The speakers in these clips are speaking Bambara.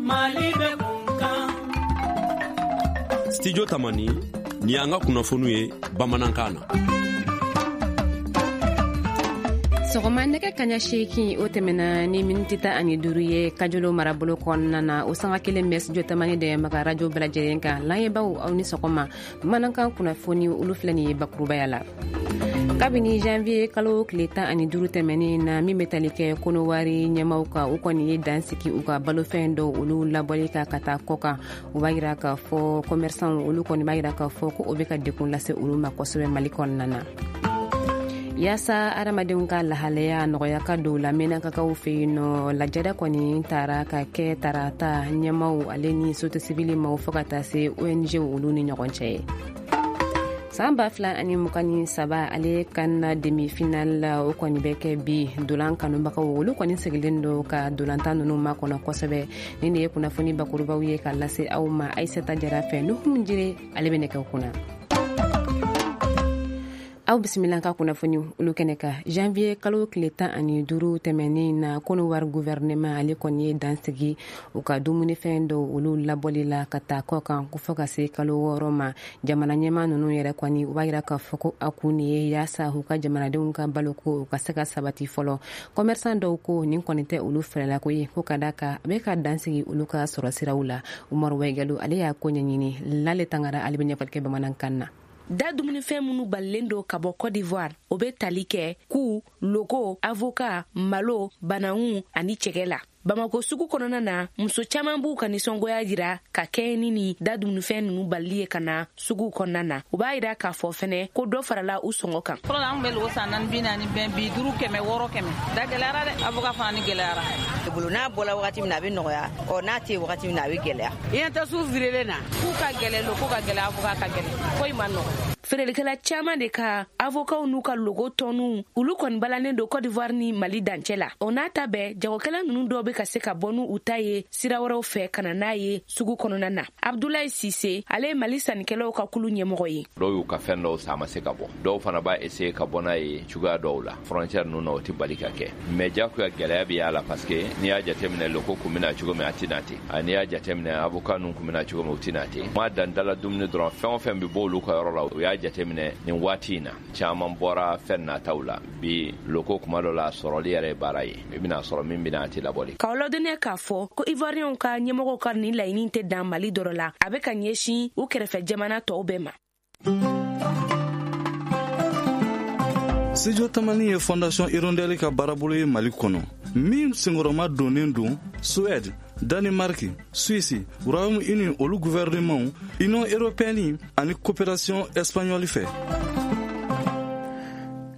Mali bɛ kun kan. Studio Tamani, nin y'an ka kunnafoniw ye bamanankan na. Sɔgɔma nɛgɛ kaɲa 8, o tɛmɛna ni miniti 15 ye Kajolo marabolo kɔnɔna na. O sanga kelen bɛ Studio Tamani dɛmɛbaga radio bɛɛ lajɛlen kan. Layɛbaw, aw ni sɔgɔma. Bamanankan kunnafoni, olu filɛ nin ye bakurubaya la. Kabini janvier kalo tile 15 tɛmɛnen na, min bɛ tali kɛ Kɔnɔwari ɲɛmaw kan, u kɔni ye dan sigi u ka balofɛn dɔw olu labɔli kan ka taa kɔ kan. U b'a yira k'a fɔ commerçant olu kɔni b'a yira k'a fɔ ko o bɛ ka dekun lase olu ma kosɛbɛ Mali kɔnɔna na. Yaasa adamadenw ka lahalaya nɔgɔya ka don la Menakakaw fɛ yen nɔ, lajɛrɛ kɔni tara ka kɛ tarata ɲɛmaw ale ni société civile maw fo ka taa se ONG olu ni ɲɔgɔn cɛ ye. San 2023 ale CAN demi finale, o kɔni bɛ kɛ bi. Dolan kanubagaw olu kɔni sigilen don ka dolantan ninnu makɔnɔ kosɛbɛ. Nin de ye kunnafoni bakurubaw ye ka lase aw ma Aisata Jara fɛ. Nuhum Jire, ale bɛ nɛgɛw kunna. Aw bisimila ka kunnafoni olu kɛnɛ kan. Janvier kalo tile 15 tɛmɛnen na, Kɔnɔwari gouvernement ale kɔni ye dan sigi u ka dumunifɛn dɔw olu labɔli la ka taa kɔ kan ko fɔ ka se kalo 6 ma. Jamana ɲɛmaa ninnu yɛrɛ kɔni, u b'a yira k'a fɔ ko a kun de ye yaasa u ka jamanadenw ka baloko u ka se ka sabati fɔlɔ. Commerçant dɔw ko nin kɔni tɛ olu fɛlɛlako ye, ko ka da kan a bɛ ka dan sigi olu ka sɔrɔ siraw la. Umaru Wɛgalo, ale y'a ko ɲɛɲini. Lale Tangara, ale bɛ ɲɛfɔli kɛ bamanankan na. Da dumunifɛn minnu balilen don ka bɔ Cote d'Ivoire, o bɛ tali kɛ ku, logo, avoka, malo, banangu ani cɛgɛ la. Bamako sugu kɔnɔna na, muso caman b'u ka nisɔngoya jira ka kɛɲɛ ni nin da dumunifɛn ninnu balili ye ka na sugu kɔnɔna na. U b'a yira k'a fɔ fɛnɛ ko dɔ farala u sɔngɔ kan. Fɔlɔ la, an tun bɛ logo san naani 40, bɛn bi duuru, 600, 100. Da gɛlɛyara dɛ, avoka fana ni gɛlɛyara. Bolo n'a bɔla wagati min na, a bɛ nɔgɔya. Ɔ n'a tɛ wagati min na, a bɛ gɛlɛya. I ɲɛ tɛ su feerelen na. K'u ka gɛlɛn, loko ka gɛlɛn, avoka ka gɛlɛn, foyi ma nɔgɔ. Feerelikɛla caman de ka avokaw n'u ka logo tɔnuw, olu kɔni balannen don Cote d'Ivoire ni Mali dancɛ la. O n'a ta bɛɛ, jagokɛla ninnu dɔw bɛ ka se ka bɔ n'u ta ye sira wɛrɛw fɛ ka na n'a ye sugu kɔnɔna na. Abdulayi Sise, ale ye Mali sannikɛlaw ka kulu ɲɛmɔgɔ ye. Dɔw y'u ka fɛn dɔw san, a ma se ka bɔ. Dɔw fana b'a essayer ka bɔ n'a ye cogoya dɔw la frontière ninnu na, o tɛ bali ka kɛ, mais jagoya gɛlɛya bɛ y'a la, parce que n'i y'a jateminɛ, loko kun bɛna cogo min, a tɛ na ten. N'i y'a jateminɛ, avocat ninnu kun bɛna cogo min, u tɛ na ten. Ma dan dala dumuni dɔrɔn, fɛn o fɛn bɛ bɔ olu ka yɔrɔ la, u y'a jateminɛ nin waati in na, caman bɔra fɛn nataw la. Bi loko, kuma dɔ la, sɔrɔli yɛrɛ ye baara ye. I bɛna sɔrɔ min bɛna, a tɛ labɔli. K'aw ladɔnniya k'a fɔ ko Ivoiriyɛnw ka ɲɛmɔgɔw ka nin laɲini tɛ dan Mali dɔrɔn la, a bɛ ka ɲɛsin u kɛrɛfɛ jamana tɔw bɛɛ ma. Studio Tamani ye Fondation Hirondelle ka baarabolo ye Mali kɔnɔ, min senkɔrɔma donnen don Suède, Danemark, Suisse, Royaume-Uni olu gouvernement, Union européenne ani coopération espagnole fɛ.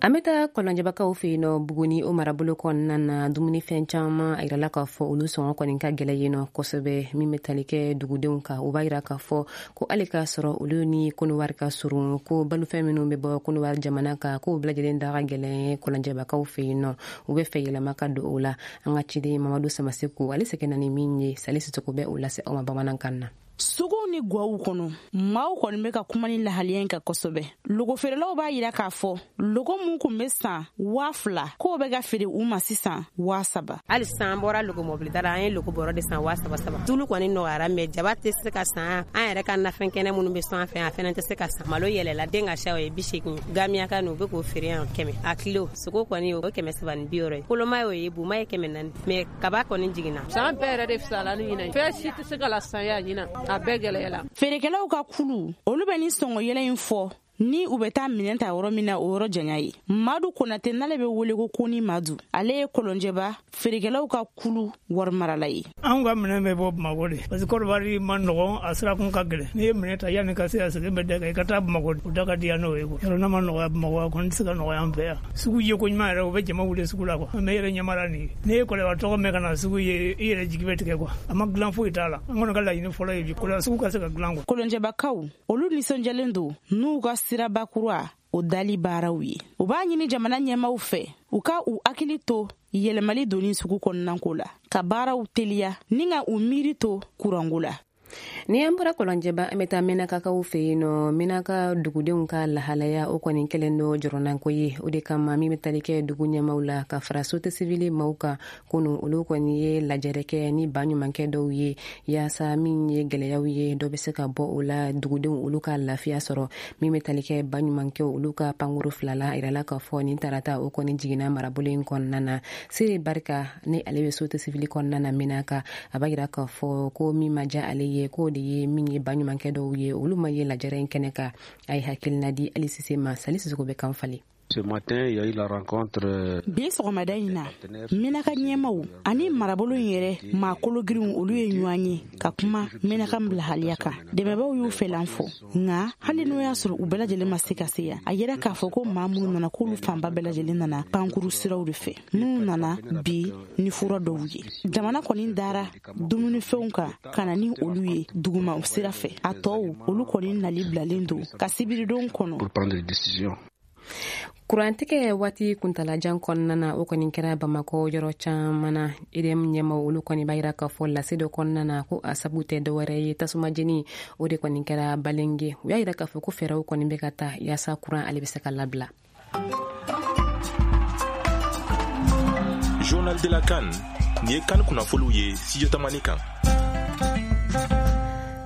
An bɛ taa Kɔlɔnjɛbakaw fɛ yen nɔ, Buguni o marabolo kɔnɔna na. Dumunifɛn caman, a yirala k'a fɔ olu sɔngɔ kɔni ka gɛlɛ yen nɔ kosɛbɛ. Min bɛ tali kɛ dugudenw kan, u b'a yira k'a fɔ ko hali k'a sɔrɔ olu ni Kɔnɔwari ka surun, ko balofɛn minnu bɛ bɔ Kɔnɔwari jamana kan, k'o bɛɛ lajɛlen da ka gɛlɛn Kɔlɔnjɛbakaw fɛ yen nɔ. U bɛ fɛ yɛlɛma ka don o la. An ka ciden Mamadu Samaseku, ale seginna ni min ye, Sali Sisoko bɛ o lase aw ma bamanankan na. Suguw ni gwaw kɔnɔ, maaw kɔni bɛ ka kuma ni lahaliya in kan kosɛbɛ. Logofeerelaw b'a yira k'a fɔ logo mun kun bɛ san 2000, k'o bɛ ka feere u ma sisan 3000. Hali sisan, an bɔra logo mɔbilida la, an ye logo bɔrɔ de san waa saba saba. Tulu kɔni nɔgɔyara, mais jaba tɛ se ka san. An yɛrɛ ka nafɛn kɛnɛ minnu bɛ sɔn an fɛ, a fɛnɛ tɛ se ka san. Malo yɛlɛla, den ka siya o ye 80, gamiyaka nu u bɛ k'o feere yan 100 a kilo. Sogo kɔni, o 360 ye, koloma y'o ye, buma ye 400, mais kaba kɔni jiginna. San bɛɛ yɛrɛ de fisala ni ɲinɛ. Fɛn si tɛ se ka la san ya ɲina, a bɛɛ gɛlɛyala. Feerekɛlaw ka kulu, olu bɛ ni sɔngɔ yɛlɛ in fɔ ni u bɛ taa minɛn ta yɔrɔ min na, o yɔrɔ janya ye. Madu Konate, n'ale bɛ wele ko Koni Madu, ale ye Kɔlɔnjɛba feerekɛlaw ka kulu wari marala ye. Anw ka minɛn bɛ bɔ Bamakɔ de, parce que Kɔrɔbari ma nɔgɔn, a sirakun ka gɛlɛn. N'i ye minɛn ta, yanni ka se a segin bɛ da kan, i ka taa Bamakɔ, o da ka di yan n'o ye quoi. Yɔrɔ n'a ma nɔgɔya Bamakɔ, a kɔni tɛ se ka nɔgɔya an fɛ yan. Sugu ye ko ɲuman yɛrɛ, u bɛ jama wuli sugu la quoi. Mais e yɛrɛ ɲɛ b'a la nin ye, n'i ye Kɔlɔnjɛba tɔgɔ mɛn ka na sugu ye, i yɛrɛ jigi bɛ tigɛ quoi. A ma dilan, foyi t'a la. An kɔni ka laɲini fɔlɔ ye bi, Kɔlɔnjɛba sugu ka se ka dilan quoi. Kɔlɔnjɛbakaw, olu nisɔndiyalen don n'u ka siraba kura o dali baaraw ye. U b'a ɲini jamana ɲɛmaw fɛ, u ka u hakili to yɛlɛmali donni sugu kɔnɔnako la, ka baaraw teliya ni ka u miiri to kuranko la. Ni an bɔra Kɔlɔnjɛba, an bɛ taa Menakakaw fɛ yen nɔ. Menaka dugudenw ka lahalaya, o kɔni kɛlen do jɔrɔnanko ye. O de kama, min bɛ tali kɛ dugu ɲɛmaw la ka fara société civile maaw kan, kunu olu kɔni ye lajɛrɛ kɛ ni baɲumankɛ dɔw ye, yaasa min ye gwɛlɛyaw ye, dɔ bɛ se ka bɔ o la, dugudenw olu ka lafiya sɔrɔ. Min bɛ tali kɛ baɲumankɛw olu ka pankuru fila la, a yirala k'a fɔ nin tarata o kɔni jiginna marabolo in kɔnɔna na. Sere Barika ni ale bɛ société civile kɔnɔna na Menaka, a b'a yira k'a fɔ ko min ma diya ale ye, k'o de ye min ye baɲumankɛ dɔw ye, olu ma ye lajɛrɛ in kɛnɛ kan. A ye hakilina di Ali Sise ma. Sali Sisoko bɛ kan falen. Ce matin, il y a eu la rencontre. Bi sɔgɔmada in na, Menaka ɲɛmaw ani marabolo in yɛrɛ maa kologirinw, olu ye ɲɔgɔn ye ka kuma Menaka bilahaliya kan. Dɛmɛbaw y'u fɛlan fɔ, nka hali n'o y'a sɔrɔ u bɛɛ lajɛlen ma se ka se yan, a yira k'a fɔ ko maa minnu nana, k'olu fanba bɛɛ lajɛlen nana pankuru siraw de fɛ. Minnu nana bi ni fura dɔw ye, jamana kɔni dara dumunifɛnw kan ka na ni olu ye duguma sira fɛ. A tɔw, olu kɔni nali bilalen don ka sibiridon kɔnɔ. Pour prendre des décisions. Kurantigɛ waati kuntalajan kɔnɔna na, o kɔni kɛra Bamakɔ yɔrɔ caman na. EDM ɲɛmaw olu kɔni b'a yira k'a fɔ lase dɔ kɔnɔna na ko a sabu tɛ dɔwɛrɛ ye, tasuma jeni o de kɔni kɛra Balenge. U y'a yira k'a fɔ ko fɛɛrɛw kɔni bɛ ka ta yaasa kuran ale bɛ se ka labila. Journal de la CAN, nin ye CAN kunnafoniw ye Studio Tamani kan.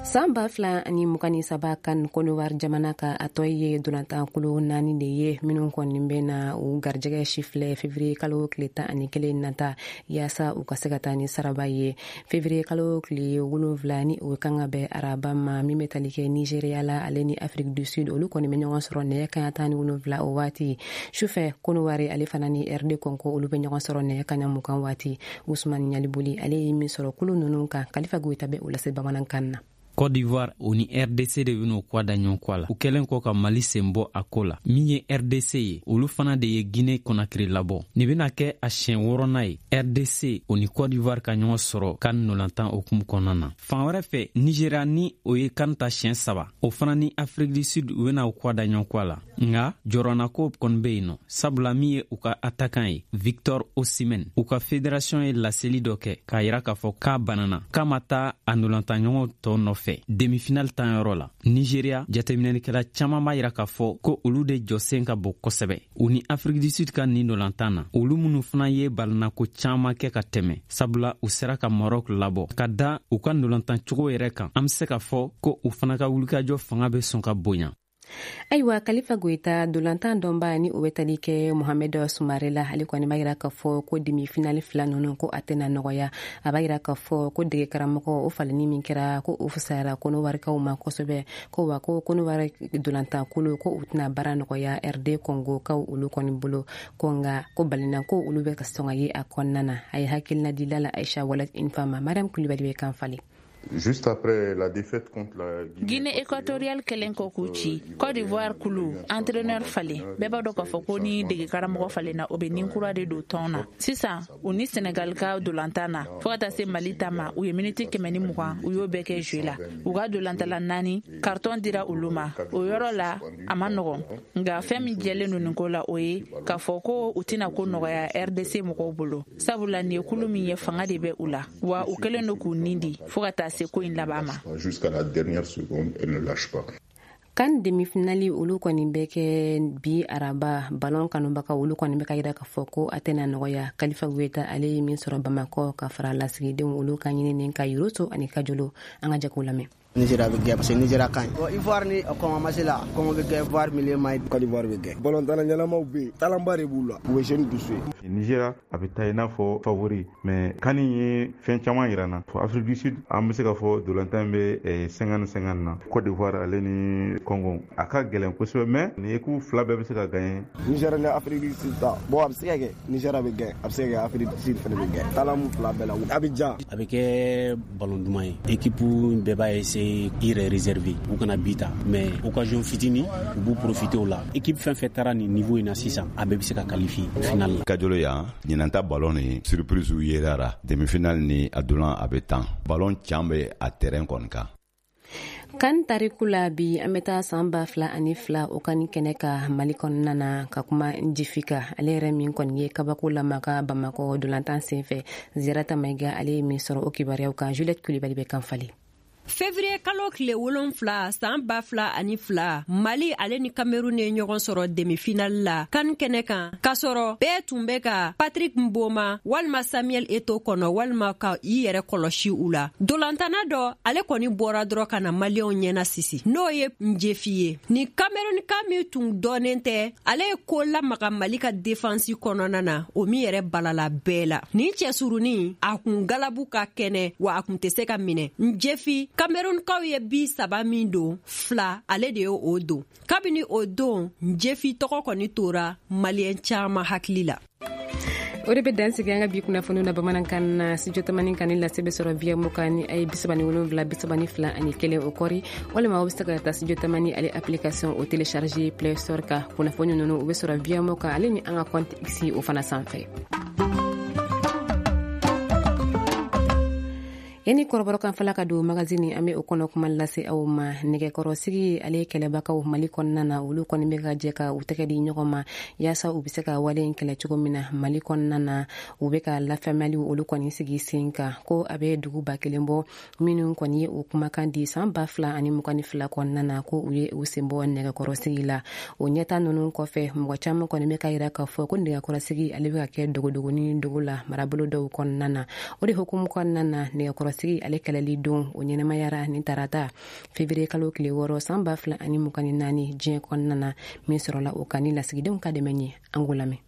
San 2023 CAN, Kɔdiwari jamana ka a tɔ ye dolantankulu naani de ye, minnu kɔni bɛ na u garijɛgɛ sifilɛ février kalo tile 11 nata, yaasa u ka se ka taa ni saraba ye. Février kalo tile 7, ni o kan ka bɛn araba ma, min bɛ tali kɛ Nigéria la, ale ni Afrique du Sud, olu kɔni bɛ ɲɔgɔn sɔrɔ nɛgɛ kaɲa 17 o waati. Sufɛ, Kɔdiwari ale fana ni RD Congo, olu bɛ ɲɔgɔn sɔrɔ nɛgɛ kaɲa 20 waati. Usman Ɲaliboli, ale ye min sɔrɔ kulu ninnu kan, Kalifa Goyita bɛ o lase bamanankan na. Côte d'Ivoire, o ni RDC de ben'o kwa da ɲɔgɔn kɔ la, u kɛlen kɔ ka Mali sen bɔ a ko la. Min ye RDC ye, olu fana de ye Guinée Conakry labɔ. Nin bena kɛ a siɲɛ wɔrɔna ye RDC, o ni Côte d'Ivoire ka ɲɔgɔn sɔrɔ CAN nolantan hukumu kɔnɔna na. Fan wɛrɛ fɛ, Nigéria, ni o ye CAN ta siɲɛ saba, o fana ni Afrique du Sud, u bena u kwa da ɲɔgɔn kɔ la. Nga jɔrɔnako kɔni be yen nɔ, sabula min ye u ka attaquant ye, Victor Osimhen, u ka fédération ye laseli dɔ kɛ k'a yira k'a fɔ k'a banana, k'a ma taa a nolantanɲɔgɔn tɔw nɔfɛ demi-finale tan yɔrɔ la. Nigeria, jateminɛlikɛla caaman b'a yira k'a fɔ ko olu de jɔsen ka bon kosɛbɛ u ni Afrique du Sud ka nin nolantan na, olu minnu fana ye balanako caaman kɛ ka tɛmɛ, sabula u sera ka Maroc labɔ. Ka da u ka nolantan cogo yɛrɛ kan, an be se k'a fɔ ko u fana ka wulikajɔ fanga be sɔn ka bonya. Ayiwa, Kalifa Goyita, dolantan dɔnba ni o bɛ tali kɛ Mohamed Sumare la, ale kɔni b'a yira k'a fɔ ko demi finale fila ninnu, ko a tɛna nɔgɔya. A b'a yira k'a fɔ ko dege karamɔgɔ o falenni min kɛra, ko o fisayara Kɔnɔwarikaw ma kosɛbɛ, ko wa ko Kɔnɔwari dolantan kolo, ko u tɛna baara nɔgɔya RD Congo kaw olu kɔni bolo, ko nka ko balina ko olu bɛ ka sɔn ka ye a kɔnɔna na. A ye hakilina di Lala Aisha Walat Infama. Mariam Kulibali bɛ kan falen. Juste après la défaite contre la Guinée équatoriale kɛlen kɔ k'u ci, Côte d'Ivoire kulu entraîneur falen. Bɛɛ b'a dɔn k'a fɔ ko ni dege karamɔgɔ falenna, o bɛ nin kura de don tɔn na. Sisan, u ni Sénégal ka dolantan na, fɔɔ ka taa se Mali ta ma, u ye miniti 120, u y'o bɛɛ kɛ jeu la. U ka dolantala naani, carton dira olu ma o yɔrɔ la. A ma nɔgɔn, nka fɛn min jɛlen don nin ko la, o ye k'a fɔ ko u tɛna ko nɔgɔya RDC mɔgɔw bolo, sabula nin ye kulu min ye, fanga de bɛ u la, wa u kɛlen don k'u nin di fɔɔ ka taa se ko in laban ma. Jusqu'à la dernière seconde, elle ne lâche pas. CAN demi-finale olu kɔni bɛ kɛ bi araba. Balon kanubaga olu kɔni bɛ ka yira k'a fɔ ko a tɛna nɔgɔya. Kalifa Goyita, ale ye min sɔrɔ Bamakɔ ka fara lasigidenw olu ka ɲinini ka Yoroso ani Kajolo, an ka jago lamɛn. Nigeria bɛ gɛn parce que Nigeria ka ɲi. Bon, Ivoire ni Congo match la, Congo bɛ gɛn, Ivoire milieu ma ɲi. Côte d'Ivoire bɛ gɛn. Ballon tana ɲɛnamaw bɛ yen, talentba de b'u la. U bɛ jeune dusu ye. Nigeria a bɛ taa i n'a fɔ favori, mais CAN ye fɛn caman yira n na. Afrique du Sud, an bɛ se k'a fɔ dolantan bɛ 50-50 na. Côte d'Ivoire ale ni Congo, a ka gɛlɛn kosɛbɛ, mais nin équipe fila bɛɛ bɛ se ka gagner. Nigeria ni Afrique du Sud ta, bon, a bɛ se ka kɛ Nigeria bɛ gɛn, a bɛ se ka kɛ Afrique du Sud fana bɛ gɛn. Talent mun fila bɛɛ la, a bɛ ja. A bɛ kɛ ballon duman ye. Équipe bɛɛ b'a essayer i yɛrɛ réserver, u kana bi ta, mais occasion fitinin, u b'u profiter o la. Équipe fɛn fɛn taara nin niveau in na sisan, a bɛɛ bɛ se ka qualifier finale la. Kajolo yan, ɲinan ta ballon ni surprise yerara. Demi-finale ni a dolan a bɛ tan. Ballon can bɛ a terrain kɔni kan. CAN tariku la bi, an bɛ taa san 2002 o CAN kɛnɛ ka Mali kɔnɔna na, ka kuma Njifi kan, ale yɛrɛ min kɔni ye kabako lamaka Bamakɔ dolantan sen fɛ. Ziyarata Mayiga, ale ye min sɔrɔ o kibaruyaw kan, Juliette Kulibali bɛ kan falen. Février kalo tile 7 san 2002, Mali ale ni Cameroun ye ɲɔgɔn sɔrɔ demi-finale la CAN kɛnɛ kan, k'a sɔrɔ bɛɛ tun bɛ ka Patrick Mboma walima Samuel Eto'o kɔnɔ walima ka i yɛrɛ kɔlɔsi u la. Dolantana dɔ ale kɔni bɔra dɔrɔn ka na Maliyɛnw ɲɛna sisi, n'o ye Njefi ye. Ni Cameroun ka min tun dɔnnen tɛ, ale ye ko lamaga Mali ka défense kɔnɔna na, o min yɛrɛ balala bɛɛ la. Nin cɛsurunin a kun galabu ka kɛnɛ wa a kun tɛ se ka minɛ. Njefi, Camerounkaw ye bi 3 min don, 2 ale de ye o don. Kabini o don, Njefi tɔgɔ kɔni tora Maliyɛn caman hakili la. O de bɛ dan sigi an ka bi kunnafoniw na bamanankan na. Studio Tamani kan ni lase bɛ sɔrɔ via mukan ni a ye 37 32 ani 1 o kɔri, walima aw bɛ se ka taa Studio Tamani ale application o télécharger Play Store kan. Kunnafoni ninnu u bɛ sɔrɔ via mukan ale ni an ka compte X o fana sanfɛ. Yani kɔrɔbɔrɔkan fɔla ka don magazine, an bɛ o kɔnɔ kuma lase aw ma. Nɛgɛkɔrɔsigi ale kɛlɛbagaw Mali kɔnɔna na, olu kɔni bɛ ka jɛ ka u tɛgɛ di ɲɔgɔn ma yaasa u bɛ se ka wale in kɛlɛ cogo min na Mali kɔnɔna na. U bɛ ka lafaamuyaliw olu kɔni sigi sen kan ko a bɛ dugu 1000 bɔ minnu kɔni ye o kumakan di san 2022 kɔnɔna na ko u ye u sen bɔ nɛgɛkɔrɔsigi la. O ɲɛta ninnu kɔfɛ, mɔgɔ caman kɔni bɛ ka yira k'a fɔ ko nɛgɛkɔrɔsigi ale bɛ ka kɛ dogodogoni dogo la marabolo dɔw kɔnɔna na. O de hukumu kɔnɔna na, nɛgɛkɔrɔsigi ale kɛlɛli don o ɲɛnamayara ni tarata février kalo tile 6 san 2024 diɲɛ kɔnɔna na, min sɔrɔla o kan ni lasigidenw ka dɛmɛ ye. An k'o lamɛn.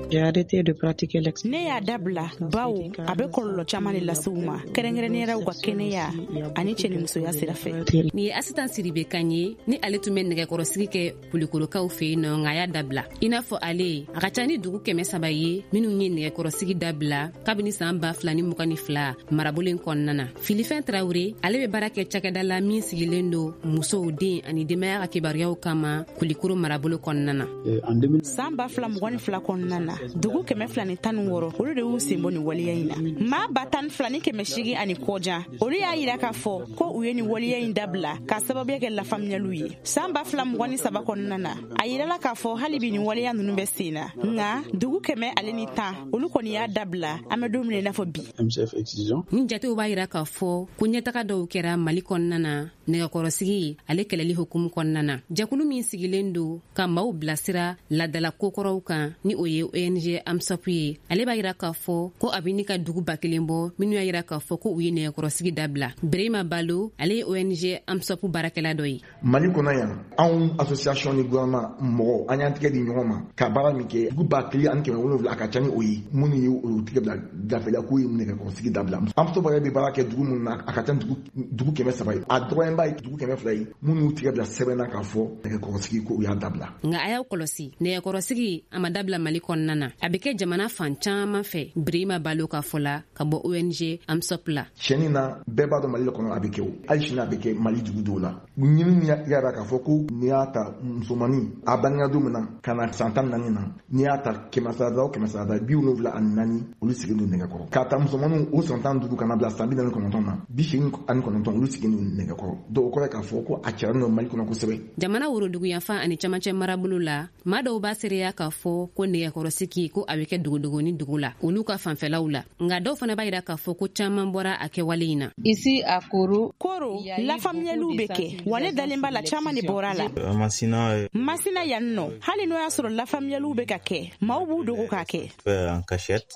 Ne y'a dabila bawo a bɛ kɔlɔlɔ caman de lase u ma, kɛrɛnkɛrɛnnenya u ka kɛnɛya ani cɛnimusoya sira fɛ. Nin ye Asitan Siribe kan ye, ni ale tun bɛ nɛgɛkɔrɔsigi kɛ Kulikorokaw fɛ yen nɔ, nka a y'a dabila. I n'a fɔ ale, a ka ca ni dugu 300 ye minnu ye nɛgɛkɔrɔsigi dabila kabini san 2022 marabolo in kɔnɔna na. Filifɛn Tarawele, ale bɛ baara kɛ cakɛda la min sigilen don musow, den ani denbaya ka kibaruyaw kama Kulikoro marabolo kɔnɔna na. San 2022 kɔnɔna na, dugu 216 olu de y'u sen bɔ nin waleya in na. Maa 12,800 ani kɔjan olu y'a yira k'a fɔ ko u ye nin waleya in dabila k'a sababuya kɛ lafaamuyaliw ye. San 2023 kɔnɔna na, a yirala k'a fɔ hali bi nin waleya ninnu bɛ sen na, nka dugu 110 olu kɔni y'a dabila an bɛ don min na i n'a fɔ bi. Nin jatew b'a yira k'a fɔ ko ɲɛtaga dɔw kɛra Mali kɔnɔna na nɛgɛkɔrɔsigi ale kɛlɛli hukumu kɔnɔna na. Jɛkulu min sigilen don ka maaw bilasira ladala kokɔrɔw kan, ni o ye ONG AMSOP ye, ale b'a yira k'a fɔ ko a bɛ ni ka dugu 1000 bɔ minnu y'a yira k'a fɔ ko u ye nɛgɛkɔrɔsigi dabila. Berema Balo, ale ye ONG AMSOP baarakɛla dɔ ye. Mali kɔnɔ yan, anw association ni gouvernement mɔgɔw, an y'an tɛgɛ di ɲɔgɔn ma ka baara min kɛ, dugu 1700, a ka ca ni o ye minnu ye o tɛgɛ bila gafe la k'u ye nɛgɛkɔrɔsigi dabila. AMSOP yɛrɛ bɛ baara kɛ dugu minnu na, a ka ca dugu 300 ye, a dɔgɔyanba ye dugu 200 ye minnu y'u tɛgɛ bila sɛbɛn na k'a fɔ nɛgɛkɔrɔsigi ko u y'a dabila. Nka a y'aw kɔlɔsi, nɛgɛkɔrɔsigi a ma dabila Mali kɔnɔna na, a bɛ kɛ jamana fan caman fɛ. Birima Balo ka fɔ la ka bɔ ONG AMSOP la. Tiɲɛni na, bɛɛ b'a dɔn Mali kɔnɔ a bɛ kɛ o, hali sini a bɛ kɛ Mali dugu dɔw la. Ɲini y'a k'a fɔ ko n'i y'a ta musomanin a bangena don min na ka na san 14 na, n'i y'a ta 100 o 100 74 olu sigilen don nɛgɛkɔrɔ. K'a ta musomaninw o san 15 ka na bila san 49 na, 89 olu sigilen don nɛgɛkɔrɔ. Donc o kɔrɔ ye k'a fɔ ko a cayalen don Mali kɔnɔ kosɛbɛ. Jamana woroduguyanfan ani camancɛ marabolo la, maa dɔw b'a seereya k'a fɔ ko nɛgɛkɔrɔsigi ko a bɛ kɛ dogodogoni dugu la olu ka fanfɛlaw la, nka dɔw fana b'a yira k'a fɔ ko caman bɔra a kɛwale in na. Ici à Koro, lafaamuyaliw bɛ kɛ wa ne dalen b'a la caman de bɔra a la. Masina yan nɔ, hali n'o y'a sɔrɔ lafaamuyaliw bɛ ka kɛ, maaw b'u dogo k'a kɛ.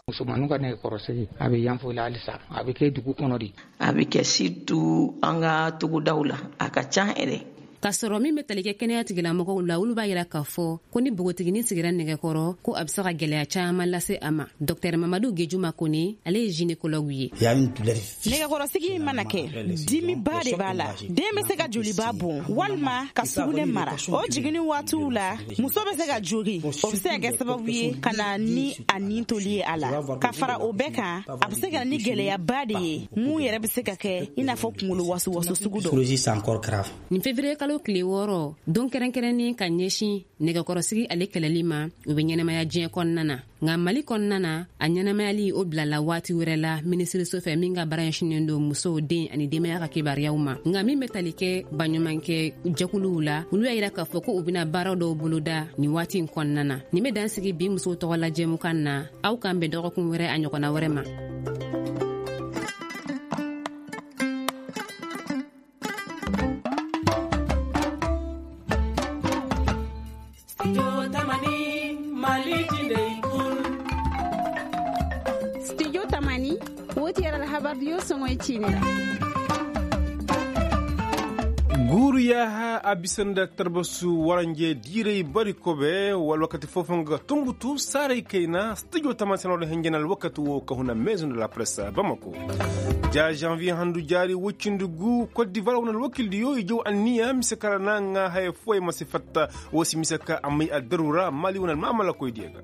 Musomaninw ka nɛgɛkɔrɔsigi a bɛ yan fo la halisa, a bɛ kɛ dugu kɔnɔ de. A bɛ kɛ surtout an ka togodaw la, a ka ca yɛrɛ. K'a sɔrɔ min bɛ tali kɛ kɛnɛya tigilamɔgɔw la, olu b'a yira k'a fɔ ko ni npogotiginin sigira nɛgɛkɔrɔ ko a bɛ se ka gɛlɛya caman lase a ma. Dɔktɛr Mamadu Gejuma Kone, ale ye gynécologue ye. Nɛgɛkɔrɔsigi mana kɛ, dimiba de b'a la. Den bɛ se ka joliba bɔn walima ka sugunɛ mara. O jiginni waatiw la, muso bɛ se ka jogin, o bɛ se ka kɛ sababu ye ka na ni a nin toli ye a la. Ka fara o bɛɛ kan, a bɛ se ka na ni gɛlɛyaba de ye mun yɛrɛ bɛ se ka kɛ i n'a fɔ kunkolo wasuwasu sugu dɔ. Nin février kalo tile 6, don kɛrɛnkɛrɛnnen ka ɲɛsin nɛgɛkɔrɔsigi ale kɛlɛli ma, o bɛ ɲɛnamaya diɲɛ kɔnɔna na. Nka Mali kɔnɔna na, a ɲɛnamayali o bilala waati wɛrɛ la minisiriso fɛ min ka baara ɲɛsinnen don musow, den ani denbaya ka kibaruyaw ma. Nka min bɛ tali kɛ baɲumankɛ jɛkuluw la, olu y'a yira k'a fɔ ko u bɛna baara dɔw boloda nin waati in kɔnɔna na. Nin bɛ dan sigi bi musow tɔgɔ la jɛmukan na. Aw k'an bɛn dɔgɔkun wɛrɛ a ɲɔgɔnna wɛrɛ ma. Mali jinai kul. Studio Tamani, woti yaral habar yo songoy cinera. Guru yaha abisanda tarbasu waranje direi bari kobe wal wakati fofanga Tombouctou sare kaina studio Tamani hengenal wakati wo kahuna maison de la presse Bamako. Ja janvier handu jari wuccindugu Côte d'Ivoire wonal wakildi yo jow anniya misekara nanga hay foy masifatta wosi misaka amay adarura mali wonal mamala koy diega.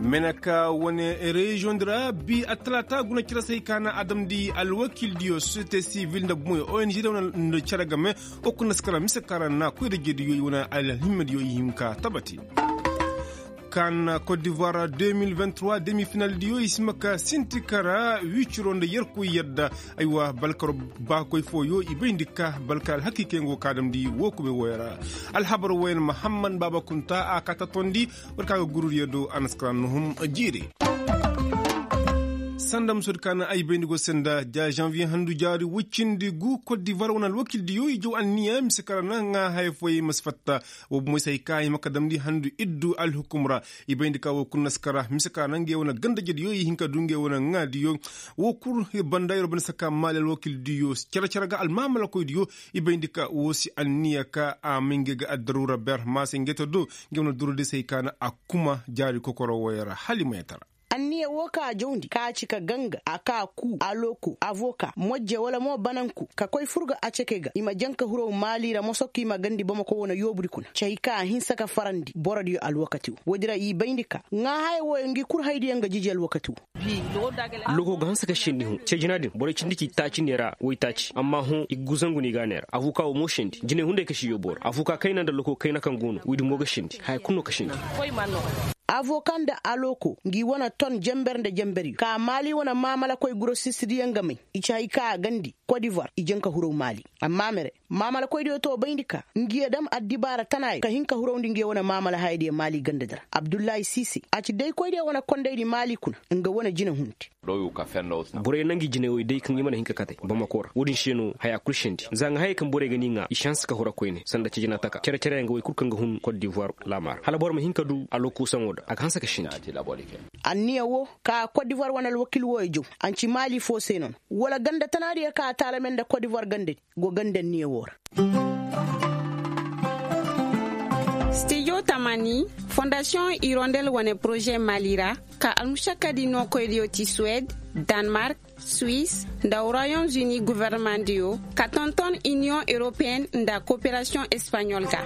Menaka wone region dra bi atlata guna kira sai kana adam di alwakil diyo société civile nda moy ONG da wona caragame okuna skara misekara na koy de gedi yo wona alhimma yo yimka tabati. CAN Côte d'Ivoire 2023 demi-finale diyo ismaka sintikara wicuronde yerko yedda aywa balkaro bakoy foyo ibindika balkal hakikengo kadam di wokube woyara alhabar wayen Muhammad Baba Kunta akata tondi warkaga gurur yedo anaskran nuhum jiri sandam sodkana ay bendigo senda ja janvier handu jari wuccindi gu Côte d'Ivoire wonal wakildi yo jo anniya misikara nga hay foy masfatta wo musay kay makadam di handu iddu al hukumra ibendi ka wo kunnaskara misikara nange wona ganda jedi yo hinka dunge wona ngadi yo wo kur bandayro ben saka malal wakildi yo cara cara ga al mamala koy diyo ibendi ka wosi anniya ka aminge ga adarura ber masingeto do ngewna durde sey kana akuma jari kokoro woyara halima yatara anniya woka jondi ka cika ganga aka ku aloko avoka mojje wala mo bananku ka koy furga a cekega ima janka huro malira mosokki ima gandi bama ko wona yobri kuna cey ka hinsaka farandi boradi yo alwakati wodira yi bayndika nga hay wo ngi kur haydi nga jiji alwakati loko ga hansaka shindi hu cejinadin bore cindiki taci nera woi taci amma hu iguzangu ni ganera avuka o mo shindi jine hunde ka shiyo bor avuka kaina da loko kaina kan gono widi moga shindi hay kunno ka shindi avokan da aloko ngi wana ton jemberde jemberi ka mali wana mamala koy grossiste diyangame ichay ka gandi Côte d'Ivoire ijenka huro mali amma mere mamala koy to bayndika ngi dam addibara tanay ka hinka huro ndi ngi wana mamala haydi mali gandadara Abdoulaye Sisi aci dey koy de wana konde di mali kuna nga wana jina hunti bore nangi jine woy dey kan yimana hinka kate bamakora wodin sheno haya kulshindi zanga hay kan bore gani nga chance ka hora koyne sanda ci jina taka cere cere nga way kurkan ga hun Côte d'Ivoire lamar hala bor ma hinka du aloko sangoda aka hansa ka shindi anniya wo ka Côte d'Ivoire wana wakil woyjo anci mali fo senon wala ganda tanari ka talamen da Côte d'Ivoire gande go gande niya wora. Studio Tamani, Fondation Hirondelle wane projet Malira, ka almushaka di no koydiyo ti Suède, Danemark, Suisse, nda Royaume-Uni gouvernement dio, ka tonton Union européenne nda coopération espagnole ga.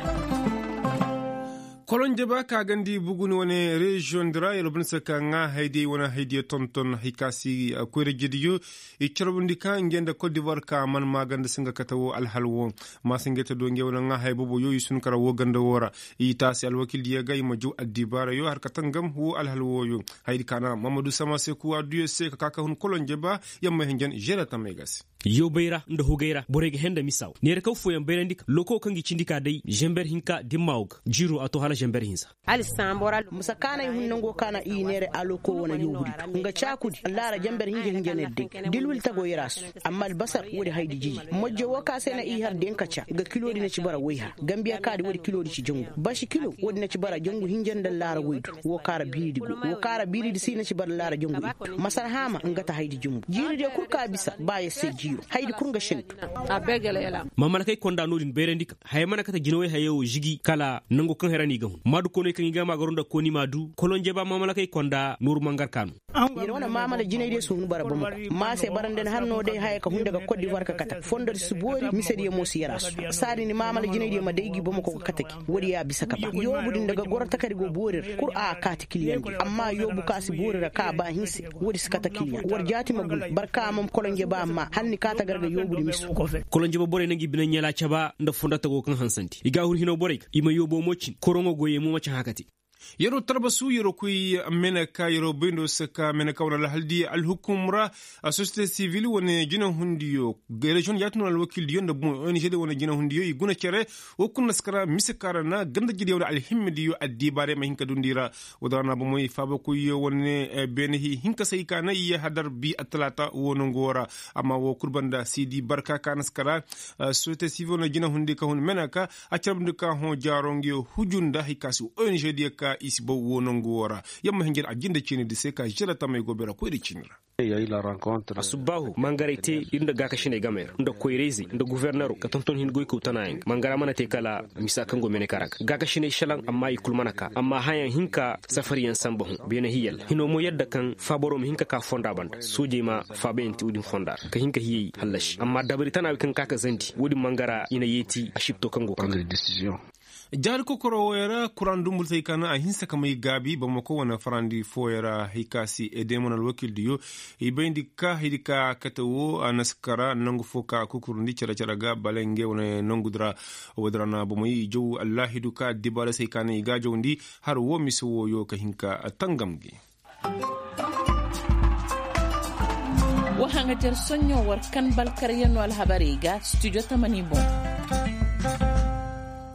Kolonje ba ka gandi buguni wone region dra yelo bin saka nga haydi wona haydi tonton hikasi koyre jidiyo e chorbundi ka ngenda Côte d'Ivoire ka man maganda singa katawo alhalwo ma singeta do ngewna nga hay bobo yoyi sun kara wo ganda wora itasi alwakil diya gay maju addibara yo har katangam wo alhalwo yo haydi kana Mamadou Sama Sekou aduye se kaka hun kolonje ba yamma hengen jerata megas yo bayra nda hogaira borege henda misaw nere kaw foyan bayrandik loko kangi cindika dai jember hinka dimmawg jiro ato hala jember hinsa ali sambora musa kana hunnango kana i nere aloko wona yohudi nga chakudi lara jember hinje hinje nedde dilwil tago yerasu amma albasar wodi haydi jiji mojje woka sena i har den kacha ga kilodi na cibara wayha gambia kadi wodi kilodi ci jongo bashi kilo wodi na cibara jongo hinje ndal lara woydu wokara biridi go wokara biridi si na cibara lara jongo masar hama ngata haydi jumbu jiri de kurka bisa baye se jiro haydi kurga shintu a begele yala mamala kay konda nodin berendika hay mana kata jinoy hayo jigi kala nango kan herani gahun madu kono kan gama garonda koni madu kolonje ba mamala kay konda nur mangar kanu yene wana mamala jinay de sunu bara bamu ma se baranden hanno de hay ka hunde ga Côte d'Ivoire ka kata fondor subori misedi mo si yarasu sari ni mamala jinay de ma deygi bamu ko kataki wodi ya bisa kaba yobu din daga gorta kadi go borir kur a kati kiliyan amma yobu kasi borira ka ba hinsi wodi sikata kiliyan war jati magul barka mam kolonje ba amma hanni kata garga yobu di misu kolonje ba bore nangi binan yala chaba nda fondata go kan hansanti iga hur hino bore ima yobo mocin korongo goye mu macha hakati yero tarbasu yero kuy menaka yero bindo saka menaka wala haldi alhukumra société civile wona jina hundiyo region yatno alwakil diyo nda bon ONG de wona jina hundiyo iguna cere o kunna skara misekara na ganda jidi wala alhimdiyo addibare ma hinka dundira wadana bo moy faba kuy wona benhi hinka sai kana iya hadar bi atlata wono ngora amma wo kurbanda sidi barka kana skara société civile wona jina hundi ka hun menaka acarbndu ka hon jarongiyo hujunda hikasu ONG diyo ka ka isbo wonongora yamma hingir ajinda chini de seka jira tamay gobera ko cinira. Asubahu mangara te inda gaka shine gamer inda koirezi inda gouverneur ka tonton hin goy ko tanayin mangara mana te kala misa kango mene karak gaka shine shalan amma ikul manaka amma hayan hinka safari yan sambahu bena hiyal hino mo yadda kan faboro mi hinka ka fonda banda soje ma fabe enti udin fonda ka hinka hiyi halashi amma dabari tana kan kaka zandi wudi mangara ina yeti ashipto kango Jari kokoro woyara kuran dumbul kana a hinsa kamai gabi bamako wana farandi foyara hikasi edemon alwakil diyo ibendi ka hidika katawo anaskara nangu foka kukurundi cara cara ga balenge wana nangudra wadrana bomoyi jow allahidu ka dibala sai kana iga jowndi har wo miso woyo ka hinka tangamgi. Wahanga jar sonyo war kan balkar yano alhabariga studio tamani bon.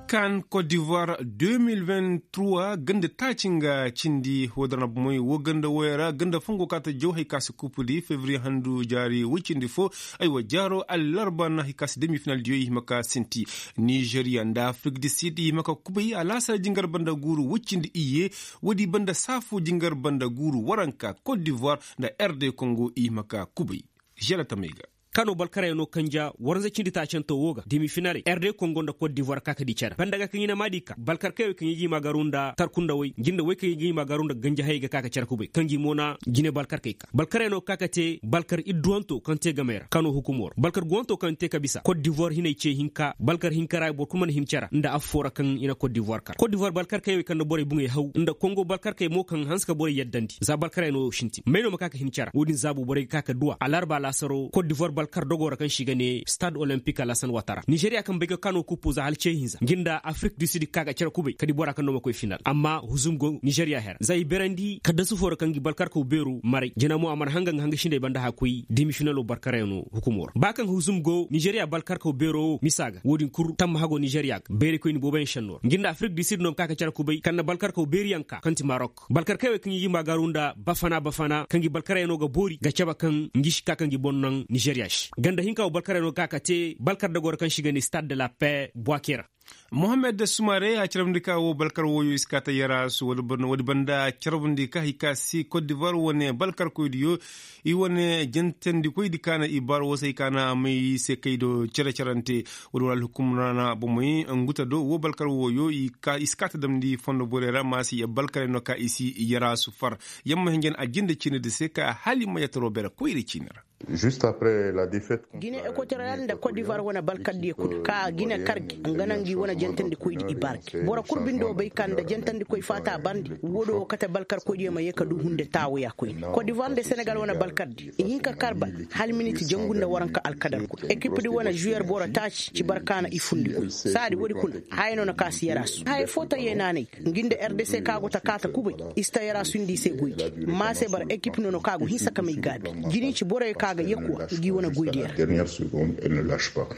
Kan Côte d'Ivoire 2023 ganda tacinga cindi wadarna moy wo ganda woyara ganda fungo kata johay kas kupudi février handu jari wicindi fo aywa jaro allarba na hikas demi final diyo maka sinti Nigeria nda Afrique du Sud maka kubai alasa jingar banda guru wicindi iye wadi banda safu jingar banda guru waranka Côte d'Ivoire da RD Congo maka kubai Jalata Mega Kano balkara no kanja warza cindi ta can woga demi finale RD Congo da Cote d'Ivoire kaka di cara bandaga kan ina madika balkar kayo kan yi magarunda tarkunda wai ginda wai kan yi magarunda ganja hayga kaka cara kube kanji mona gine balkar kai ka balkara no kaka te balkar idduanto kan te gamera Kano hukumor balkar guanto kan te kabisa Cote d'Ivoire hinai ce hinka balkar hinkara bor kuma him cara inda afora kan ina Cote d'Ivoire kar Cote d'Ivoire balkar kayo kan bore bunge hau inda Congo balkar kai mo kan hanska bore yaddandi za balkara no shinti meno makaka him cara wodin zabu bore kaka duwa alarba lasaro Cote d'Ivoire balkar dogora kan shiga ne Stade Olympique Alassane Ouattara Nigeria kan bega Kano kupu za halce hinza ginda Afrique du Sud kaga cara kube kadi bora kan no makoy final amma huzum go Nigeria her zai berandi kada su fora kan gi balkar ko beru mare jina mo amar hanga hanga shinde banda hakui demi final o balkar no hukumor bakan huzum go Nigeria balkar ko bero misaga wodin kur tam hago Nigeria bere ko ni boben shanor ginda Afrique du Sud no kaga cara kube kan balkar ko beriyanka kanti Maroc balkar kawe kan yi magarunda bafana bafana kan gi balkar no ga bori ga caba kan ngish kakan gi bonnan Nigeria ganda hinka o balkar no kaka te balkar da gor kan shiga ni Stade de la Paix Boakera Mohamed Soumare a ciramdika wo balkar woyo iskata yara su wadi banda ciramdika hikasi Côte d'Ivoire wone balkar koydiyo i wone jentendi koydi kana i bar wo sai kana mai se kaydo cira cirante wadi wal hukumrana bomoy nguta do wo balkar woyo i ka iskata damdi fondo borera masi ya balkar no ka isi yara su far yamma hingen ajinda cini de seka halima yatoro bera koyri cinira. Juste après la défaite contre Guinée équatoriale da Côte d'Ivoire wana balkar di kudu ka Guinée kargi nganangi wana jentandi koydi ibarki bora kurbindo bay kan da jentandi koy fata bandi wodo kata balkar koydi ma yeka du hunde tawo ya koy Côte d'Ivoire de Sénégal wana balkar di hinka karba hal minute jangunda waranka alkadar ko équipe di wana joueur bora tachi ci barkana ifundi ko sadi wodi kun hayno na kasi yarasu hay fota yenane nginde RDC kago ta kata kubay ista yarasu ndi se goydi ma se bar équipe nono kago hinsa kamay gabi jini ci bora kaga yekuwa gi wana goydiya. Dernière seconde, elle ne lâche pas.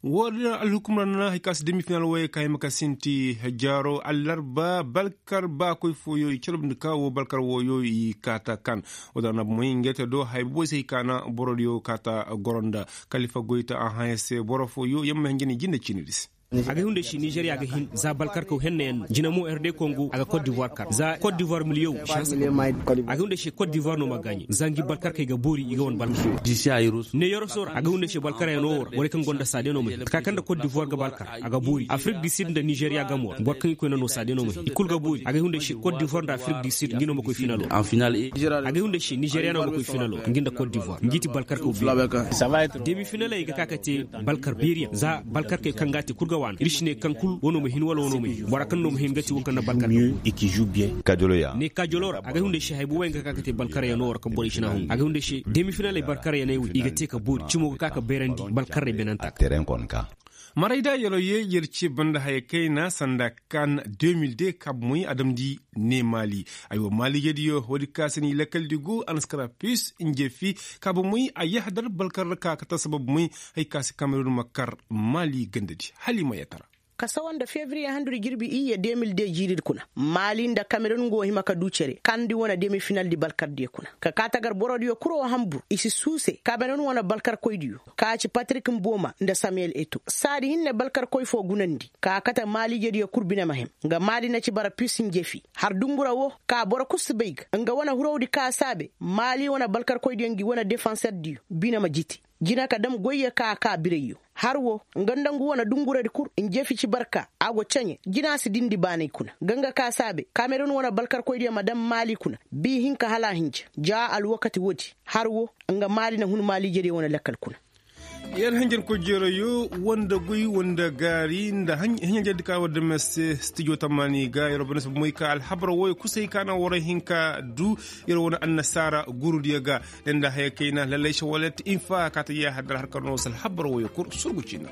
Wodina alhukumrana hikas demi-final waye kay makasinti jaro allarba balkar ba koy foyo i calabndi ka wo balkar woyo i kata kan wadana moy ngete do hay bo sey kana borodiyo kata goronda Khalifa Goita an hayse boro foyo yamma ngeni jinne cinidis aga hunde shi Nigeria ga hin za balkar ko henne jinamo RD Congo aga Côte d'Ivoire kar za Côte d'Ivoire milieu chance aga hunde shi Côte d'Ivoire no magani zangi balkar kai ga bori iga won balkar ne yoro sor aga hunde shi balkar ya no wor kan gonda sade no mai kakan da Côte d'Ivoire ga balkar aga bori Afrique du Sud da Nigeria ga mo bor kan ko no sade no mai ikul ga bori aga hunde shi Côte d'Ivoire da Afrique du Sud ngino mako finalo en finale aga hunde shi Nigeria no mako finalo nginda Côte d'Ivoire ngiti balkar ko bi demi finale ga kakate balkar beriya za balkar kai kangati kurga wan irishne kankul wono mo hin wala wono mo barakan no mo hin gati wonkan balkar et qui joue bien Kajolo ya ne kajolor aga hunde shi haybu wenga kakate balkar ya no kan bori shina hun aga hunde shi demi finale balkar ya ne iga te ka bori cimo kaka berandi balkar re benanta terrain kon ka Maraida yelo ye yerci banda haye kaina sanda kan 2002 kab muy adamdi ne Mali aywa Mali yediyo wodi kasani lekal digo anaskara pus injefi kab muy ayahdar balkar ka kata sabab muy hay kasi Cameroon makar Mali gandadi Halima Yatara. Kasawan da Fevrier handuri girbi iya 2002 jirir kuna. Mali da Cameroon go hima ka ducere. Kandi wana demi final di balkar di kuna. Ka katagar borodiyo kuro Hamburg isi suse Cameroon wana balkar koydiyo. Ka ci Patrick Mboma nda Samuel Eto'o. Sadi hinne balkar koy fo gunandi. Ka kata Mali jediyo kurbina mahem. Nga Mali na ci bara pusin jefi. Har dungura wo ka bora kusbeig. Nga wana hurowdi ka sabe. Mali wana balkar koydiyo ngi wana defenseur diyo. Bina majiti. Jina ka dam goyya ka ka bireyo. Harwo ngandangu wana dungura di kur injefi ci barka ago canye jina si dindi banai kuna ganga ka sabe Cameroon wana balkar koydiya madam Mali kuna bi hinka hala hinja ja al wakati wodi harwo nga Mali na hun Mali jere wana lakkal kuna yan hanjar ko jero yo wanda gui wanda gari nda hanya jadi ka wadda mese studio tamani ga yoro bana moy ka al habra woy kusai kana wora hinka du yoro wona annasara guru diga nda hay kaina lallai shawalat infa ka ta ya hadar harkar no sal habra woy kur surgucina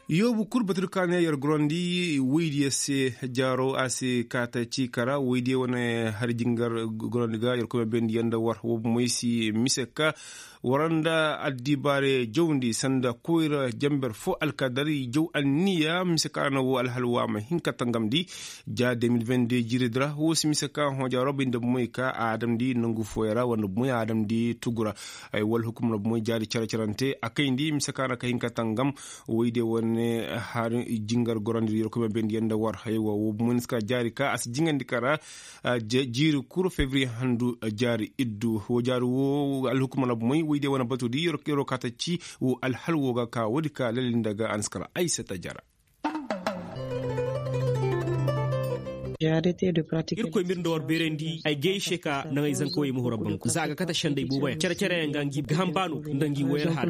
yobu kurbatur kane yor grondi weydi se jaro ase kata cikara weydi wona har jingar grondi ga yor ko ben yanda war wobu moysi miseka waranda addibare jowndi sanda koyra jamber fo alkadari jow anniya miseka na wo alhalwa ma hinka tangamdi ja 2022 jiridra wo si miseka ho jaro binde moyka adam di nangu foyra wanda moy adam di tugura ay wal hukum no moy jari cara carante akayndi miseka na ka hinka tangam weyde won har jingar gorandi yor ko ben yanda war haywa wo muniska jari ka as jingandi kara jiri kuro fevrier handu jari iddu wo jari wo alhukuma na moy wide wana batudi yor kero kata ci wo alhalwo ga ka wodi ka lalin daga anskara Aissata Jara. Irko mir dor berendi ay geishe ka nangay zanko yi muhura banku zaga kata shandai bubaya cere cere ngangi gambanu ndangi wayar har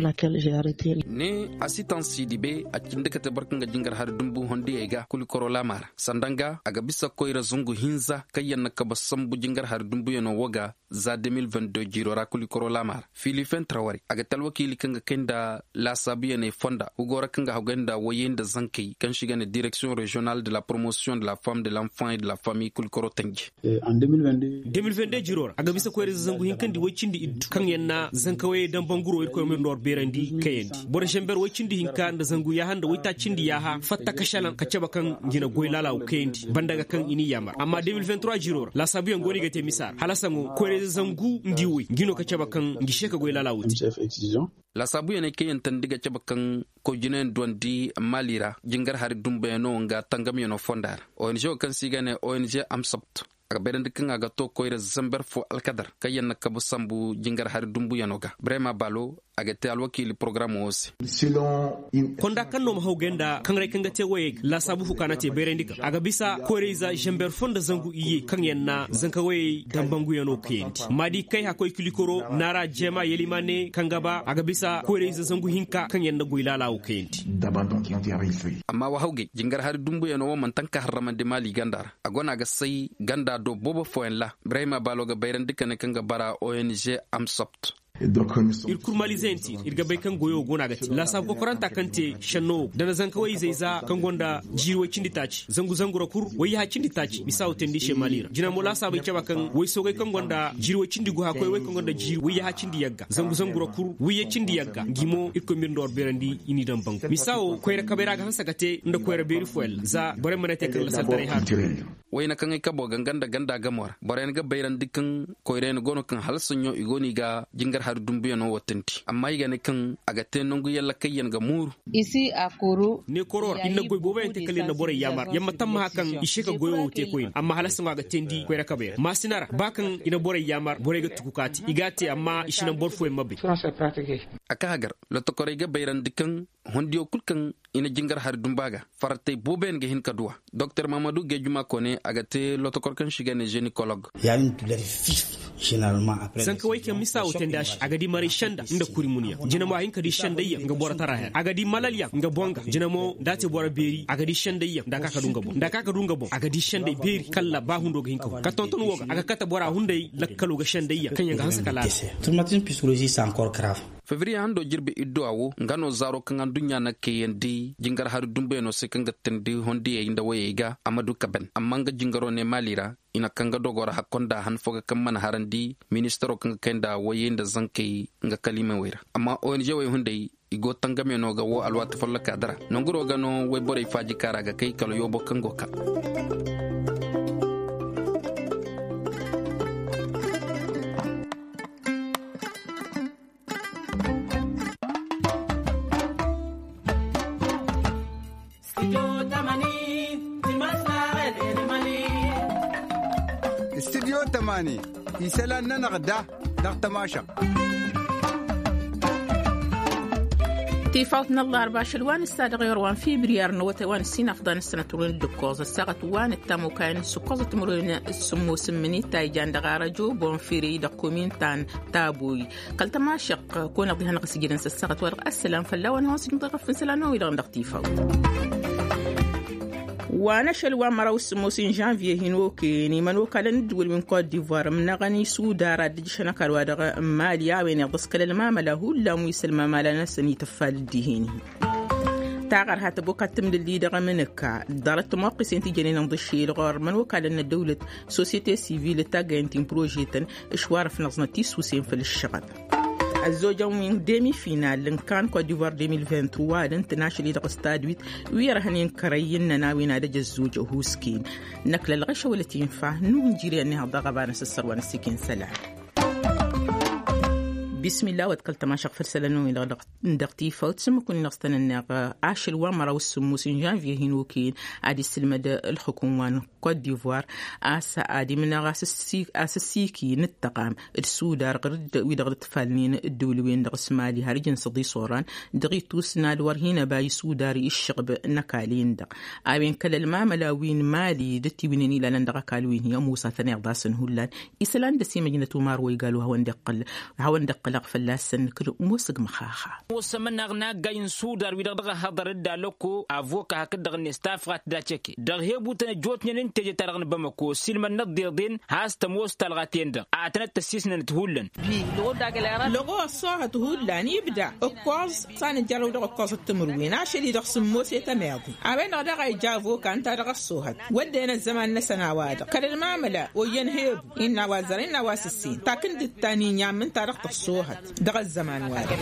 ne asitan sidibe a kinde kata barkanga jingar har dumbu hondi ega kulikoro lamara sandanga aga bisa koira zungu hinza kayanna kaba sambu jingar har dumbu yano waga za 2022 jirora kulikoro lamara Philippine Traoré aga talwakili kanga kenda la sabiya ne fonda ugora kanga hagenda wayenda zankai kan shiga ne direction régionale de la promotion de la femme de l'enfant et de la famille kulikoro tangi en 2022 jirora aga bisa koyre zangu hinkandi wacindi iddu kan yanna zankawe dan banguro irko mir nor berandi kayendi bor shember wacindi hinka da zangu ya handa wita cindi ya ha fatta kashalan kacaba kan gina goylala kayendi bandaga kan ini yamar amma 2023 jirora la sabiyan goni gate misar halasango koyre zangu ndiwi gino kacaba kan gisheka goylala wuti la sabu yene kayen tandiga caba kan ko jinen dondi malira jingar hari dumbe no nga tangam yono fondar ONG kan sigane ONG Amsopt aga berende kan aga to koyre zamber fo alkadar kayen na kabu sambu jingar hari dumbu yanoga Brema Balo aga te alwakili programme wosi konda kan no mahogenda kan rai kan ga te waye la sabu fukana te berendika aga bisa koyre za jamber fonda zangu iye kan yanna zanka waye dambangu yano kenti madi kai hakoy kulikoro nara jema yelimane kan gaba aga bisa koyre za zangu hinka kan yanna goylala o kenti amma wa hauge jingar hari dumbu yano wo man tanka harramande mali gandara agona ga sai ganda do bobo foen la Brema Balo ga berendika ne kan ga bara ONG Amsopt irkur malizenti irga bai kan goyo gona gati la sab ko koranta kante shanno dana zanka wai zaiza kan gonda jirwa cindi taci zangu zangura kur wai ha cindi taci misau tendi she malira jina mo la sabai caba kan wai so kan gonda jirwa cindi go ha koy wai kan gonda jir wai ha cindi yagga zangu zangura kur wai cindi yagga gimo irko mir ndor berandi ini dan banku misau koyra kabera ga hansa gate nda koyra beri fuel za bare manate kan la saltare ha wai na kan ai kabo ganganda ganda gamor bare ga bayran dikan koyre no gono kan halsunyo igoni ga jingar har dumbuya no watanti amma yiga ne kan aga te nongu yalla kayyan ga muru isi akuru ne koror inna goy boba ente kalin na bore yamar yamma tamma hakan isheka goyo te koyin amma halasun ga tendi koyra kabe masinara bakan ina bore yamar bore ga tukukati igate amma ishina bor fo mabbe aka hagar lotokore ga bayran dikan hondiyo kulkan ina jingar har dumbaga farate boben ga hin kaduwa Dr Mamadou Gejuma Kone aga te lotokor kan shiga ne gynécologue ya une douleur vive généralement après sanka wai kan misa oten dash agadi mari shanda inda kurimuniya jinamo ayin kadi shanda ya nga bora tara agadi malaria nga bonga jinamo date bora beri agadi shanda ya da kaka dunga bon da kaka dunga bon agadi shanda beri kala ba hundo ga hinka ka tonton woga aga kata bora hundai lakkalo ga shanda ya kan yanga hansa kala traumatisme psychologique c'est encore grave Février hando jirbe iddo awo ngano zaro kan dunya na keyendi jingar har dumbe no se kanga tendi hondi e inda wayega Amadou Kaben amma nga jingaro ne malira ina kanga dogora hakonda han foga kan man harandi ministero kanga kenda wayenda zankai nga kalima wera amma ONG way hundai Igo tangame no ga wo alwata folla kadara nonguro ga no way bore faji kara ga kai kalo yobo kango ka. استديو تماني يسألنا نغدا دغ تماشا تيفاوتنا الله أربع شلوان السادة غيروان فبراير نوتوان السنة أفضل السنة ترون الدكوز الساعة وان التامو كان سكوز تمرون السمو سمني تايجان دغارجو بونفيري دقومين تان تابوي قلت ما شق كون أضيها نقص جدا الساعة ورق السلام فلا وانا هوسي مضغف في سلانو إلى غندق وانا شلوان مراوس موسين جانفي هنوكي نيمانو كالن دول من كوت ديفوار من غني سودارا دجشنا كالوادغ ماليا وين يغسكل الماملا هو مويس الماملا نسني تفال ديهيني تاغر هاتبوكا تمد اللي دغ منكا دارت موقس انت جنين نضشي الغار من وكالن الدولة سوسيتي سيفيل تاغنتين بروجيتن اشوار في نظنة تيسوسين في الشغب الزوجة من ديمي فينال لنكان كوت ديفوار 2023 الانترناشونال دغ ستاد ويرهنين كريين ناوي نادج الزوجة هوسكين نكل الغشة ولا تنفع نونجيري انها ضغبان السروان السكين سلام. بسم الله وتكلت تماشق فرسلانو إلى ندقتي فوت كون نغستن عاشل ومرا والسموسين جانفي هنوكين عادي السلمد الحكومة كوت ديفوار آسا عادي من أساسيكي نتقام السودار غرد ويدغد تفالنين الدولوين دغ سمالي هارجن صدي صوران دغي توسنا الورهين باي سوداري الشغب نكالين دغ أبين كل الماملاوين مالي دتي وينيني لندغ كالوين هي موسى ثني غداسن هولان إسلان دسي مدينة ماروي قالوا هون دقل هون دقل فلاسن كل موسق مخاخة وسمنا غنا جاين سودار ويدغ هضر دالوكو افوكا هكدغ نستافغات داتشكي دغ هبوتن جوتن ننتج ترغن بمكو سلم النضيضين هاس تموس تلغاتين دغ اعتنا تسيسن تهولن لغو الصاحة تهولن يبدا القاز صان جارو دغ القاز التمروين عشان يدغ سموسي تماضي عبين غدا جافو كان ترغ الصوهد ودينا الزمان نسنا وادق كل المعاملة وينهب إن وازرين واسسين تاكند التاني يامن ترغ الصوهد دغ الزمان وارد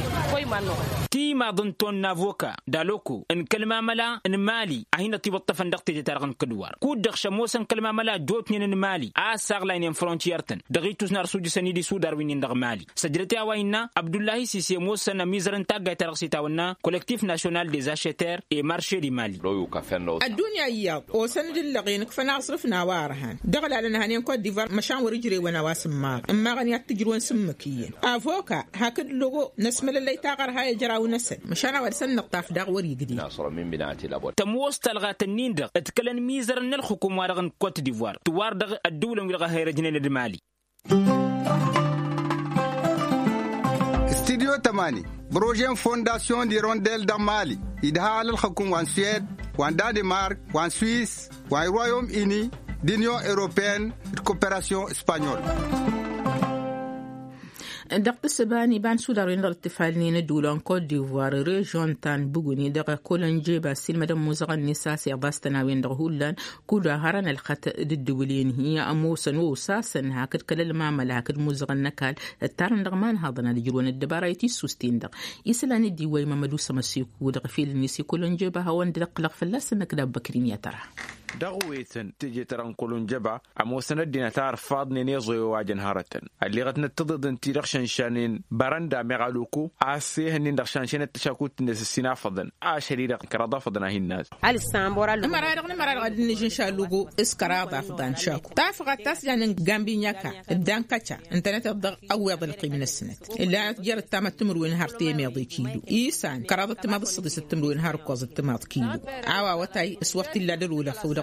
تي ما ضنتون نافوكا دالوكو ان كلمة ملا ان مالي اهين تي بطفن دقتي ترغن كدوار كود دغ شموسن كلمة ملا جوتنين ان مالي اساغ لاين فرونتيرتن دغيتوس نار سوج سنيدي سو داروين دغ مالي سجلتي اوينا عبد الله سيسي موسن ميزرن تاغ ترغ سيتاونا كولكتيف ناسيونال دي زاشيتير اي مارشي دي مالي الدنيا يا وسند اللغين كفنا صرفنا وارهان دغل على نهانين كوت ديفوار مشان ورجري وانا واسمار اما غني تجرون سمكيين افوكا هاكد لغو نسمل اللي تاغر هاي جراو نسل مشان ورسن نقطاف داغ وري قدي تموس تلغات النيندغ اتكلن ميزر نلخكم وارغن كوت ديفوار توار دغ الدولة ويلغا هاي رجنين المالي. استديو تماني بروجين فونداسيون دي رونديل دا مالي إدها للحكومة وان سويد وان دانمارك وان سويس وان رويوم إني d'Union européenne de coopération espagnole. دقت السباني بان سودار ينظر التفالين دولان كوت ديفوار ريجون تان بوغوني دغ كولنجي باسيل مدام موزغ النساء سيغداستنا دغ هولان كودا هران الخط الدولين هي أموسن وساسن هاكد كل المعمل هاكد موزغ النكال التارن دغ مان هاضنا الجرون الدبارة سوستين دغ إسلاني ديوي ممدو سمسيكو دغ فيل النسي كولنجي بهوان دغ قلق فلاس نكدا بكرين يا ترى دغويتن تجي تران جبا أموسن الدين تار فاضني نيزوي واجن هارتن اللي غتنا تضد انتي رخشن شانين برندا مغالوكو عسيه هنين رخشان شان التشاكوت الناس السنا فضن عشري كرضا فضنا هي الناس على السامبورا مرة غادي نجي نشالوغو اسكراضا فضان شاكو تافغ التاس يعني غامبينياكا الدانكاتشا انت تبدا اوض القيم من السنة اللي جرت تام التمر وين هارتي ميضي كيلو ايسان كراضة تماض الصديس التمر وين هار كوز التماض كيلو عوا وتاي سوقت لا دلولا فوق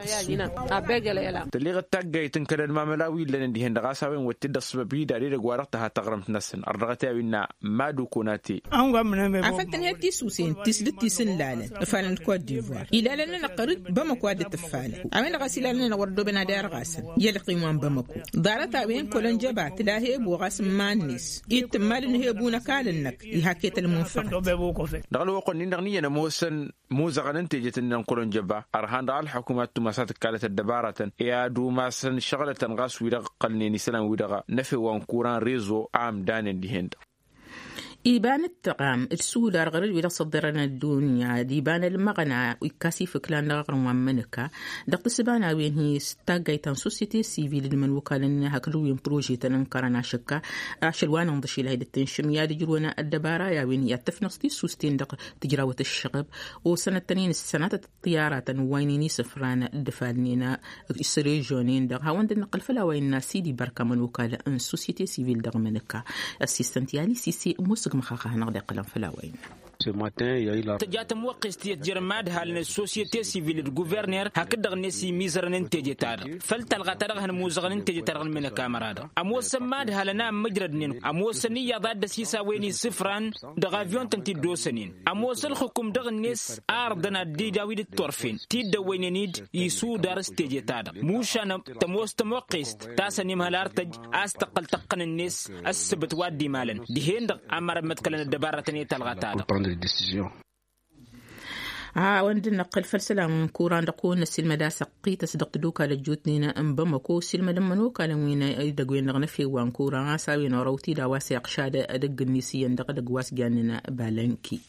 اللي غتاقي تنكر الماملاوي لان دي هندغاساوين وتد السببي داري غوارتها تغرم تنسن الرغتاوينا ما دوكوناتي عفتن هي تيسوسين تسدت تيسن لالن فالن كوت ديفوار الى لنا نقرد بمكو اد التفالة عمل غسيل لنا وردو بنا دار غاسن يلقي وان بمكو دارتا وين كولن جبات لا هي بو غاسم مانيس يتمال هي بونا كالنك يحكيت المنفق دغلو وقن نغني موسن موزغ ننتجت ان كولن جبا ارهان الحكومه تماسات كالة الدبارة يا دوماسن شغلة غاس ويدغ قلني سلام ويدغ نفي وانكوران ريزو عام دان دي هند. إيبان التقام السودار غير ولا صدرنا الدنيا ديبان المغنى ويكاسي فكلان غير منك دقت سبانا وين هي ستاجيتان سوسيتي سيفيل من وكالنا هكلو بروجي تنكرنا شكا عشلوان نضشي لهيد التنشم يا دجرونا الدبارة يا وين يتفنصتي سوستين دق تجراوة الشغب وسنة تنين السنة الطيارة وينيني سفران دفالنينا السريجونين دق هاوند النقل فلا وين سيدي بركة من وكالة ان سوسيتي سيفيل دق منك اسيستنت يالي سيسي موسق مخاخه نغدي قلم فلا وين تجات موقس تيجر مادها لنا السوسيتي سيفيل الجوفرنر هكذا نسي ميزر ننتج تار فلتلغى ترغ موزغ ننتج ترغ من الكاميرا أموس مادها لنا مجرد نين أموس نية ضد سيسا ويني صفران دغافيون تنتي دوسنين أموس الحكم دغ الناس أرضنا دي داويد الطرفين تيد وينيد يسو دارس تيجي تار موشان تموس تموقس تاسني مهلارتج أستقل تقن الناس السبت وادي مالا دهين أمر متكلن الدبارة تني تلغى تار وند نقل فلسلام كوران دقون السلمة دا سقيت صدق دوكا لجوتنينا ام بمكو سلمة لما نوكا لوينا يدقوين نغنى في وان كوران ساوي نوروتي دا واسي اقشاد ادق النسيان دق دق واس جاننا بالانكي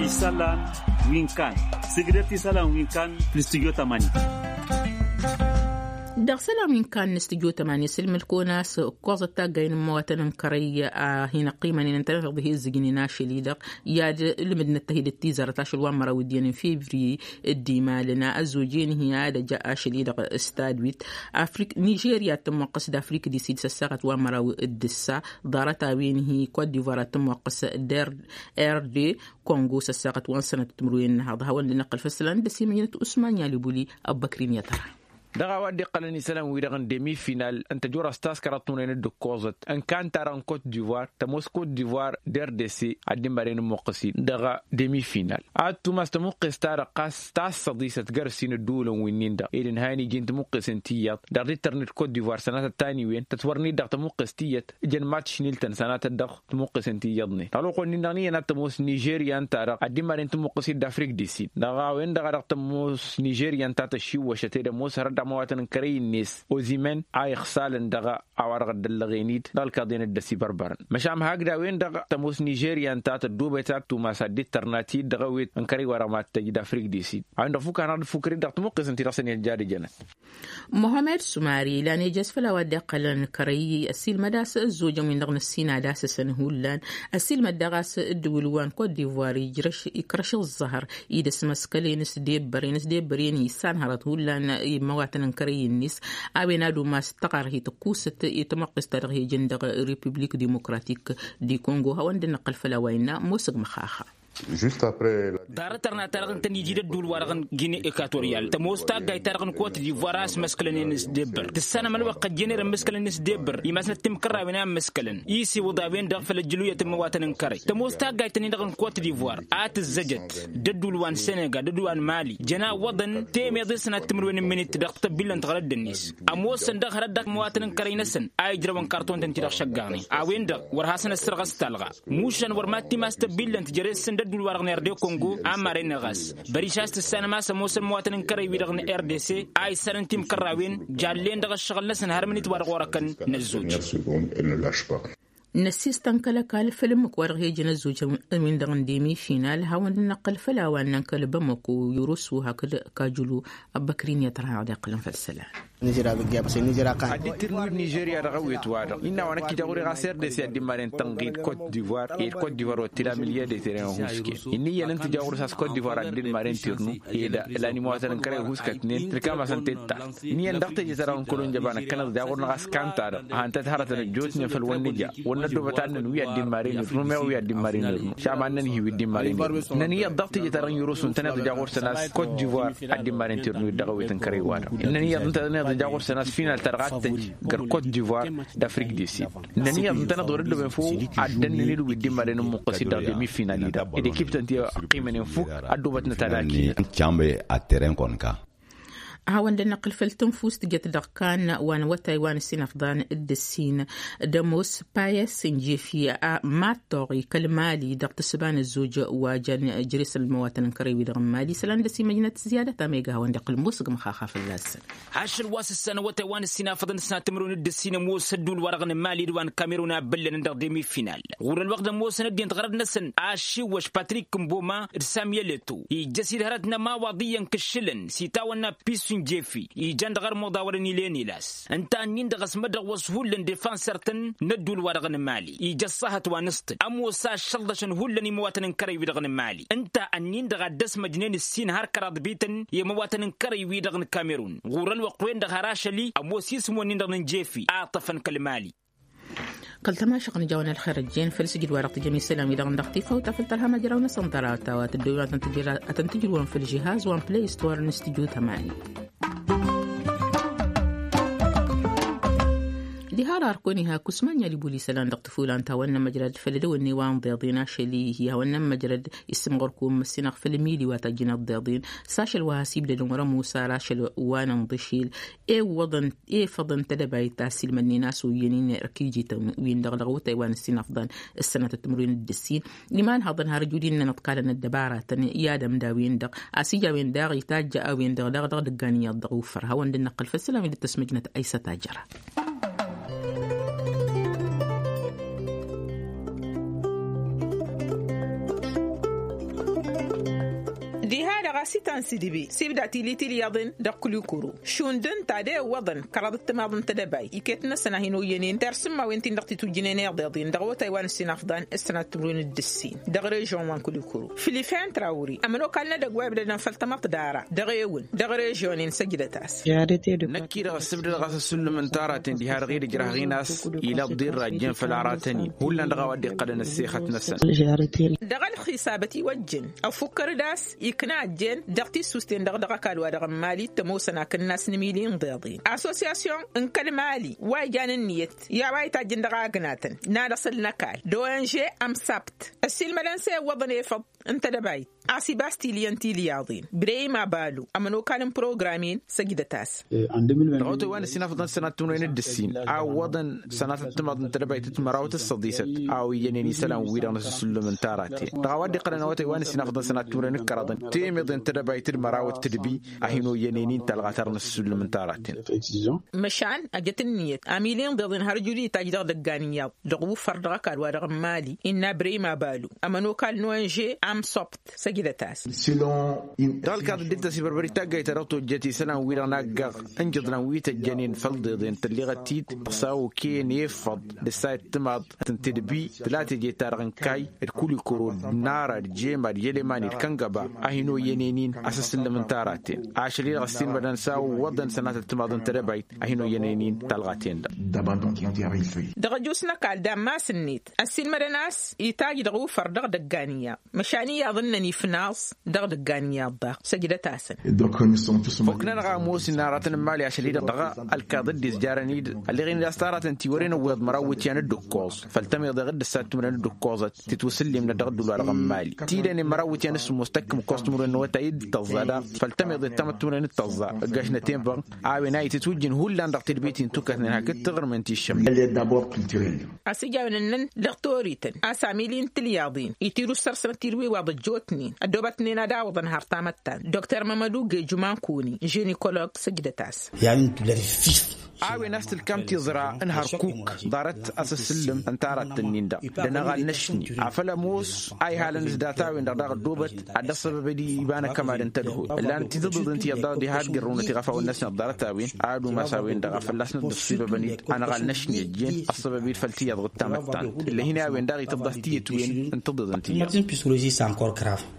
إسالان وينكان سيجرتي إسالان وينكان في الاستوديو 8 دغسلا من كان نستجو 8 سلم الكوناس كوزة تاقين مواطن كرية هنا قيمة ننتظر به الزجني ناشي ليدق يا لمدنا التهيد التيزر تاشل وامرا وديان فيفري الديما لنا الزوجين هي هذا جاء شليدق استادويت أفريق نيجيريا تم قصد أفريق دي سيد سساقت وامرا الدسا دارتا وين هي كوت ديفوار تم قصد دير ار دي كونغو سساقت وان سنة تمروين هذا هو اللي نقل فسلان دسي مدينة أسمانيا لبولي أبكرين يترى دغا ودي قالني سلام ويرغن ديمي فينال انت جورا ستاس كراتون ندو ان كان تاران كوت ديفوار تموس كوت ديفوار دير دي سي عدين بارين موقسي دغا ديمي فينال اتو ماس تموقس تارا قاس تاس صديسة تقرسين الدولة وينين دا إذن هاني جين تموقس انتيات دار ترنت كوت ديفوار سنة التاني وين تتورني دغ تموقس تيات جن ماتش نيلتن سنة الدغ تموقس انتياضني تالو قلني نغني انا تموس نيجيريا انت عدين بارين تموقسي دافريك دي سي دغا وين دغا تموس نيجيريا انت تشيو وشتي موس رد مواطن كري الناس وزمان اي خسال دغا اوارغ دلغينيد دالكادين الدسي بربرن مشام هكذا وين دغا تموس نيجيريا انت تدوبه تاتو ما سدي ترناتي دغا ويت انكري ورا ما تجد افريك دي سي عند فوك انا فكري دغ تمقس انت راسني الجاري جنة محمد سماري لاني جس فلا ودي قلن كري السيل مداس الزوجة من دغن السينا داس سنهولان السيل مدغاس الدولوان كوت ديفوار يجرش يكرش الزهر يدس مسكلين ديبرين ديبرين يسان هرت هولان مواطن كري الناس أبينا دو ما استقر هي تقوست يتمقس ترغي جندغ ريبوبليك ديمقراطيك دي كونغو هوند نقل فلاوينا موسق مخاخا دارترنا ترغن تنيجي الدول ورغن غيني إكواتوريال تموستا جاي ترغن كوت ديفوار مسكلن نس دبر تسنة من وقت جنير مسكلن نس دبر يمسنا تمكرا وينا مسكلن يسي وضاوين دغفل الجلوية تمواتن كري تموستا جاي تنيدغن كوت ديفوار آت الزجت ددول وان سنغال ددول وان مالي جنا وضن تيمي ضسنا تمروين من تدق بلن تغرد الناس أموسن دغ ردك مواطن كري نسن أي جروان كارتون تنتي شقاني أوين دغ ورهاسن السرغس تلغى موشن ورماتي ماستبلن تجرسن ددول ورغن ار دي كونغو امارين غاس بريشاست السنه ما سموس المواطن كري ويرغن ار دي سي اي سنتيم كراوين جالين دغ الشغل لسن هرمني تورغ وركن نزوج نسيستان كلا كال فيلم كوارغ يجن الزوج من دغن ديمي فينال هاون نقل فلا وان نكل بمكو يرسو هكذا كاجلو أبكرين يترى عاد قلن في السلام نيجيريا بقى بس نيجيريا قاعد ادي ترنو نيجيريا رغويت وارد إن وانا كي تقولي غاسير دي سيد مارين تنقيد كوت ديفوار إيه كوت ديفوار وتلا مليا دي تيران هوسكي إني يلن تجاور ساس كوت ديفوار ادي مارين ترنو إيه لاني مواطن كره هوسكا تنين تركا مثلا تتا إني يندقت جزران كلون جبانا كنا تجاور نغاس كانتار هانت تهرت الجوتني في الونجا وندو بتاعنا ويا دي مارين روميو ويا دي مارين شعبنا هي دي مارين نني الضغط جزران يروسون تنا تجاور سناس كوت ديفوار ادي مارين ترنو دغويت كري وارد إنني تجاور سناس فينال ترغات كوت ديفوار d'Afrique du Sud. نني أنتنا دور اللي بنفو عدن نيلو بدي مارين مقصد دمي فينال دا. إذا كيف تنتي قيمة نفوك أدوبتنا تلاكي. Chambe a terrain konka. هاون دنقل فلتنفوس تجت دقان وان وتايوان السنفضان الدسين دموس بايس نجيفي ماتوري كالمالي دقت سبان الزوج وجن جريس المواطن كريوي دغمالي سلان دسي مدينة زيادة تاميغا هاون دقل موسق مخاخا في اللاس عشر واس السنة وتايوان السنافضان السنة تمرون الدسين موس الدول ورغن مالي دوان كاميرونا بلن ندق ديمي فينال غور الوقت موس ندين تغرد نسن عاشي وش باتريك مبوما رسامية لتو يجسير هرتنا ما وضيا كشلن سيتاونا بيسون جيفي يجان غير مداورني ليني لاس انت انين دغس مدغ وسهول ديفانسرتن ندو الورغن مالي يجصهت ونست امو سا شلدشن هولن مواطن كري ويدغن مالي انت انين دغ دس مجنين السين هار كراد بيتن يا مواطن كري ويدغن كاميرون غور الوقوين دغ راشلي امو سيسمو ندغن جيفي اعطفن كالمالي قلت ما شقن جوانا الخارجين فلسجل ورق جميع سلام إذا غندختي فوت فلترها ما جراونا صندراتا وتدوي أتنتجرون في الجهاز وان بلاي ستور نستجو 8 دهار أركونها كسمانيا لبوليس لان دقتفولان تاونا مجرد فلدو النوان ضيضين شلي هي ونا مجرد اسم غركوم السنق فلميلي واتجنا الضيضين ساشل وهاسيب لدمر موسى راشل وانا نضشيل اي وضن اي فضن تدباي تاسيل من ناس وينين ركيجي وين دغدغو تايوان السنفضان السنة التمرين الدسين لمان هضن هرجولين نتقالن الدبارة يا دم داوين دق اسيجا وين داغ يتاج وين دغ دغ دغانية الضغوفر هون دنقل فالسلام للتسمجنة ايسا تاجرة سيتان سيديبي سيبدا تيلي تيلي دقلو كورو شوندن تادي وضن كرادت ماضن تدباي يكتنا سنة هنو ينين ترسم ما وينتين دقتي توجينين ضيضين دغو تايوان السنافضان السنة تمرين الدسين دغري جون وان كلو كورو فيليفان تراوري أمنو كالنا دقوا بدنا فلتمط دارا دغيون دغري جونين سجدتاس نكير السبد غاس السلم من تاراتين دي هار غير جراه غيناس إلى الضير راجين فالعراتني هولا دغوا دي قدن السيخة نسن دغل خسابتي وجن أو فكر داس يكنا جن دغتي سوستين دغدغ كالوا دغ مالي تموسنا كناس نميلين ضيضين اسوسياسيون انكل مالي واي جان النيت يا واي تاجن دغا غناتن نادا سلنا كال دو ان جي ام سبت السيل ملانسي وضن يفض انت دباي اسي باستي لينتي لياضين بريما بالو امنو كان بروغرامين سجدة تاس دغوتو وان سنة فضن سنة تمرين الدسين او وضن سنة تمضن تدباي تتمراوت الصديسة او ينيني سلام ويران السلم انتاراتي دغوادي قرنواتي وان سنة فضن سنة تمرين الكرادن تيمضن تدباي تمراوت تدبي اهينو ينينين تلغاتر السلم انتاراتي مشان اجت النية اميلين ضدن هرجولي تاجدر دقانية دغو فردغا كالوا دغ مالي إن بريما بالو امنو كال نوانجي ام سوبت سجدة تاس دال كاد ديتا سيبربري تاغا يترتو جتي سنة ويرا ناغ انجدنا ويتا جنين فلضيضين تلي غتيت تصاو كين يفض لسايت تماض تنتدبي ثلاثة جي تارغن كاي الكل كورو نارا الجيما اليلمان الكنغبا اهينو ينينين اساس من تاراتين عشرين غسين بدن ساو وضن سنة التماض تربيت اهينو ينينين تلغاتين دغجوسنا قال دام ما سنيت السين مرناس يتاج دغو فردغ دقانية مشانية أظنني في ناس دغ دقانية الضغ سجدة تاسن فوكنا نغا موس ناراتن مالي عشان دغا الكاضد ديز جارانيد اللي غين لاستارات تيورين ويض مروت يعني الدكوز فالتمي دغ دسات من الدكوز تتوسلي من دغ دولار غمالي تيلاني مروت يعني مستكم كوستمر انه تايد تزادا فالتمي ضد تمتمر التزا قاشنا تيمبر عاوي ناي تتوجن هولاند دغ البيت توكث هكا تغر من تيشم اسيجا نن دكتوريتن اساميلين تلياضين يتيرو سرسن تيروي واض جوتني الدوبتني نادا وضن هرتامتان دكتور مامادو جمان كوني جينيكولوج سجدتاس يعني فيف عاوي نفس الكم تزرع انهار كوك دارت اسسلم انتارت النيندا دنا نشني عفلا موس اي هالن زداتاوي دغ دوبت عند السبب دي يبان كما انتدهو لان تضد انت يضا دي هاد قرونه تغفا والناس نضارتاوين عادو ما ساوين دغ فلسنا السبب بني انا غال نشني الجين السبب فلتي يضغط تامتان اللي هنا وين داغي تضغط وين انتضد انت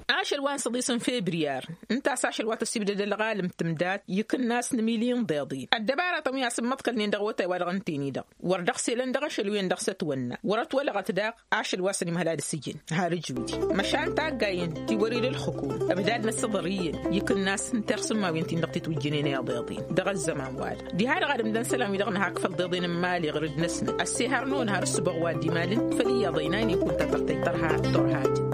عاشر وان صديصن فبراير انت ساشر وات السبد الغالم تمدات يكن ناس نميلين ضيضي الدبارة طميا سمتك اللي ندغوتا ورغنتيني دغ وردخ سيلن دغش الوين دغ ستونا ورت ولا غتداق عاشر واسني مهلاد السجن هارج ودي مشان تاقاين توري للحكومة أبداد الصدريين يكن ناس ترسم ما وينتي نقطة توجينين يا ضيضين دغ الزمان وال دي هار غادم دن سلام يدغن هاك فالضيضين مالي غرد نسنا السهر نون هار السبغ وادي مالن فلي ضيناني كنت ترتي ترها ترها جد.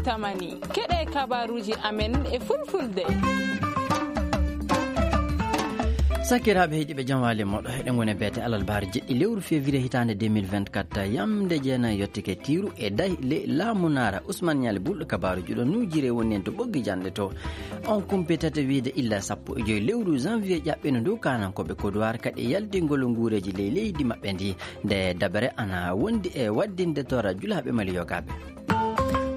Tamani keɗe kabaruji amen e Fulfulde. Sakiraɓe heeƴiɓe jam waali moɗo eɗen goni beete alal baar jeɗɗi lewru février hitande 2024 yamde jeenayi yettike tiru e dahi le laamu naara Ousmane Niali bulɗo kabaruji ɗo nujire woni en to ɓoggi janɗe to on kumpitata wiide illa 15 lewru janvier ƴaɓɓino ndu kanankoɓe Kodowar kadi e yaltingol nguureji ley leydi maɓɓe ndi nde dabare ana wondi e waddinde tora julaɓe Mali yogaɓe.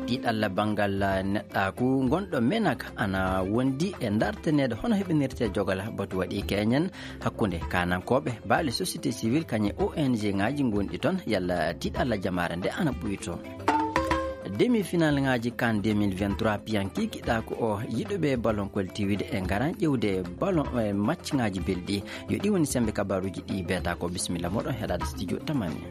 Ɗiɗalla banggal neɗɗaku gonɗo Menak ana wondi e dartanede hono heɓinirte jogal batu waɗi keñen hakkunde kanankoɓe baale société civile kañe ONG ngaji gonɗi toon yalla tiɗalla jamare nde ana ɓuyto. Demi final ngaji kan 2023 piyanki kiɗako o yiɗuɓe ballon koltiwide e garan ƴewde ballon e match ngaji belɗi yo ɗi woni sembe kabaruji ɗi beta ko bisimilla moɗon heɗade studio Tamani.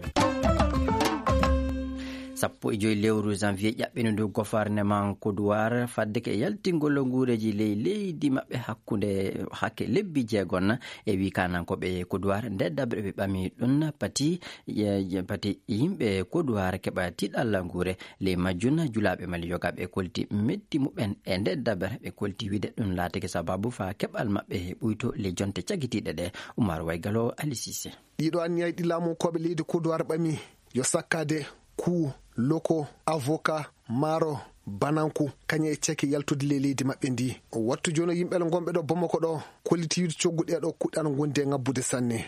15 lewru janvier ƴaɓɓino ndu gouvernement Kodowar fadde ke e yaltingol nguureji ley leydi maɓɓe hakkunde hakke lebbi jeegon e wi kanankoɓe Kodowar nde dabre ɓe ɓami ɗum pati yimɓe Kodowar keɓa tiɗalla nguure ley majjum julaɓe Mali yogaɓe kolti meddi muɓen e nde dabre ɓe kolti wiide ɗum laatake sababu fa keɓal maɓɓe ɓuyto ley jonte cagitiɗe ɗe. Oumar Waygalo Ali Cissé. Ɗiɗo anniyaji ɗi laamunkoɓe leydi Kodowar ɓami yo sakkade ku loko avocat maaro bananku kañum e ceke yaltude ley leydi maɓɓe ndi. Wattu joni yimɓe gonɓe ɗo Bamako ɗo kolliti wiide coggu ɗe ɗo kuɗɗan gondi e ngabbude sanne.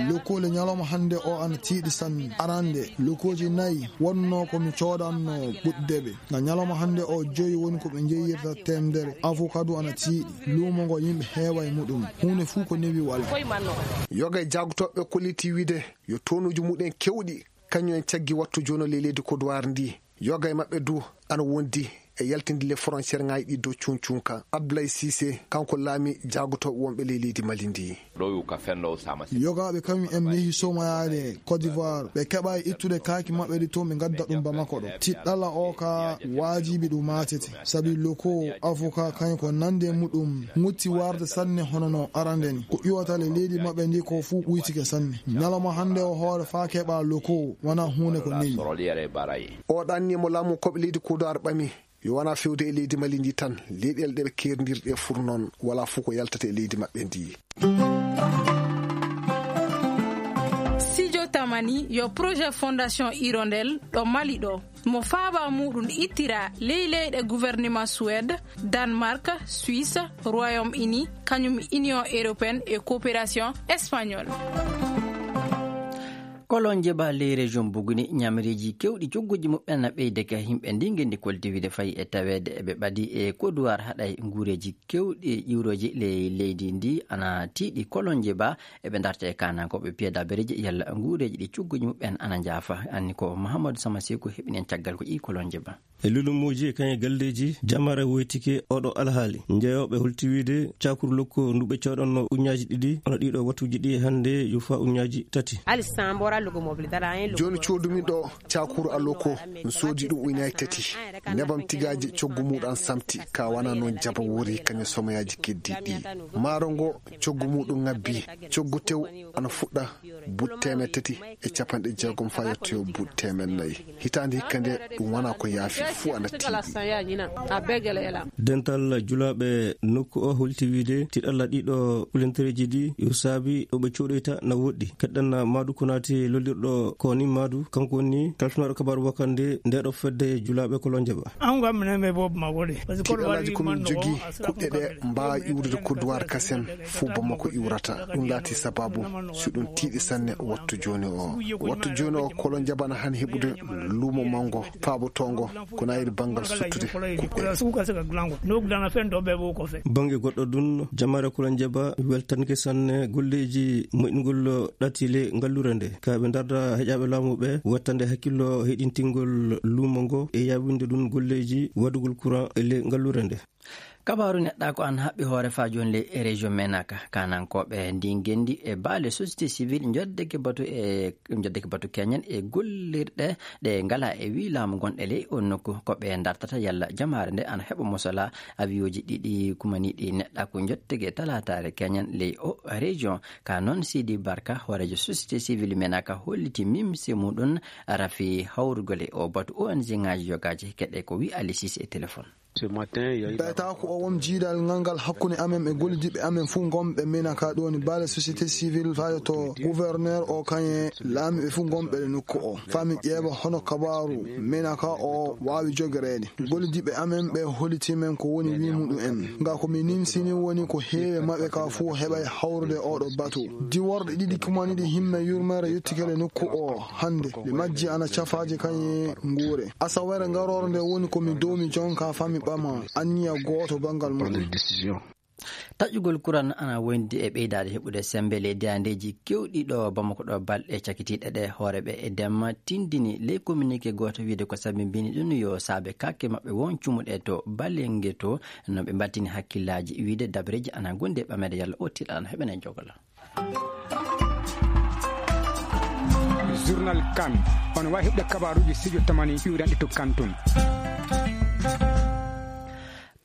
Lokole ñalawma hannde o ana tiiɗi sanne. Arande lokoji 4 wonno komi coɗanno ɓuɗdeɓe na ñalawma hannde o 5 woni ko ɓe jeeyirta temdere. Avocado ana tiiɗi luumo ngo yimɓe heewa e muɗum hunde fuu ko newi wala. Yoga e jagotoɓe kolliti wiide yo tonuji muɗen kewɗi kañum en caggi wattu joni ley leydi Kodowar ndi. Yoga e maɓɓe du ana wondi e yaltinde le frontiére ngaji ɗi dow cuncunka. Abdoulaye Cissé kanko laami jagotoɓe wonɓe ley leydi Mali ndi. Yogaɓe kañum en yeehi somayade Côte d'Ivoire ɓe keɓa ittude kaaki maɓɓe ɗi toon ɓe gadda ɗum Bamako ɗo. Tiɗɗala o ka wajibi ɗum matete saabi loko avocat kañum ko nande muɗum mutti warde sanne hono no arande ni ko ƴiwata le leydi maɓɓe ndi ko fuu ɓuytike sanne. Ñalawma hannde o hoore fa keɓa loko wona hunde ko newi. O ɗannimo laamu koɓe leydi Kodowar ɓami yo wona fewde e leydi Mali ndi tan leyɗele ɗe ɓe kerdirɗe fur noon wala fuu ko yaltata e leydi maɓɓe ndi. Studio Tamani yo projet fondation Hirondelle ɗo Mali ɗo mo faaba muɗum ittira ley leyɗe gouvernement Suède, Danemark, Suisse, Royaume-Uni kañum Union européenne e coopération espagnole. Kolon jeɓa ley région Buguni ñamreji kewɗi cogguji muɓɓen na ɓeydeke yimɓe ndi gendi koltiwide fayi e tawede eɓe ɓadi e Kodowar haɗay nguureji kewɗi ƴiwroji ley leydi ndi ana tiiɗi. Kolon jeɓa eɓe darta e kanankoɓe piya dabereji yalla nguureji ɗi cogguji muɓɓen ana jaafa. Anni ko Mahamadou Samasekou heɓinen caggal ko ƴi kolon jeɓa. E lulumoji e kañe galleji jamare woytike oɗo alhaali jeeyoɓe holtiwide cakuru lokko nduɓe coɗonno uñaji 2 ono ɗiɗo wattuji ɗi hande yo fa uñaji 3. Joni codumin ɗo cakuru aloko mi soodi ɗum uñaji 3 nebam tigaji coggu muɗum samti ka wana noon jaba wori kañum somoyaji keddiɗi. Maaro ngo coggu muɗum ngabbi coggu tew ana fuɗɗa but 360 fa yettoyo but 400. Hitande hikka nde ɗum wona ko yaafi fu ana tiiɗi. Dental julaɓe nokku o holti wiide tiɗalla ɗiɗo kulentereji ɗi yo saabi ɗoɓe coɗoyta na woɗɗi. Keɗɗan Madou Konate lollirɗo koni Madou kanko woni kalfinaɗo kabaru wakande ndeɗo fedde julaɓe kolon jeɓa. Tiɗallaji komin jogui kuɗɗe ɗe mbawa iwrude Kodowar kasen fuu Bamako iwrata ɗum laati sababu so ɗum tiiɗi sanne wattu joni o. Wattu joni o kolon jaɓana han heɓude luumo manggo faabotongo ko nayiri banggal suttude kuɗɗe. Banggue goɗɗo ɗum jamare kolon jaɓa weltanke sanne golleji moƴƴingol ɗatile gallure nde kaɓe darda heƴaɓe laamu ɓe wattande hakkillo heɗintingol luumo ngo e yawinde ɗum golleji waɗugol courant e le gallure nde. Kabaru neɗɗa ko an haɓɓi hoore fa joni ley région Menaka kanankoɓe ndi gendi e baale société civile joddeke batu e joddeke batu keñen e gollirɗe ɗe ngala e wi laamu gonɗe ley on nokku ko ɓe dartata yalla jamare nde ana heɓa mosala aviyoji ɗiɗi kumaniɗi neɗɗa ko jottege talatare keñen ley o région. Ka noon Sidi Barka hoorejo société civile Menaka holliti mimse muɗum rafi hawrugol e o batu ONG ngaji yogaji keɗe ko wi Alisis e téléphone. Ɓeyta ko o won jiidal ngal hakkunde amen e gollidiɓe amen fuu gonɓe Menaka ɗo ni baale société civile faade to gouverneur o kañe laamiɓe fuu gonɓe e nokku o fami ƴeewa hono kabaru Menaka o wawi jogoreede. Gollidiɓe amen ɓe hollitimen ko woni wi muɗum en nga ko mi nimsini woni ko heewe maɓɓe ka fuu heɓay hawrude oɗo batu. Diworɗe ɗiɗi kumaniɗi himme yurmere yettikele nokku o hande ɗe majji ana cafaji kañe nguure. Asawere ngarore nde woni komi dowmi jonka fami ɓama anniya goto bangal muɗum. Taƴugol kuran ana wondi e ɓeydade heɓude sembe ley diyandeji kewɗi ɗo Bamako ɗo balɗe cakitiɗe ɗe hooreɓe e demma tindini ley communiqué goto wiide ko sabimbini ɗum yo saabe kakke maɓɓe won cumuɗe to balenge to no ɓe battini hakkillaji wiide dabareji ana gondi e ɓamede yalla o tiɗa ana heɓene jogola. Journal kan on wawi heɓde kabaruji studio Tamani iwranɗe to Kanton.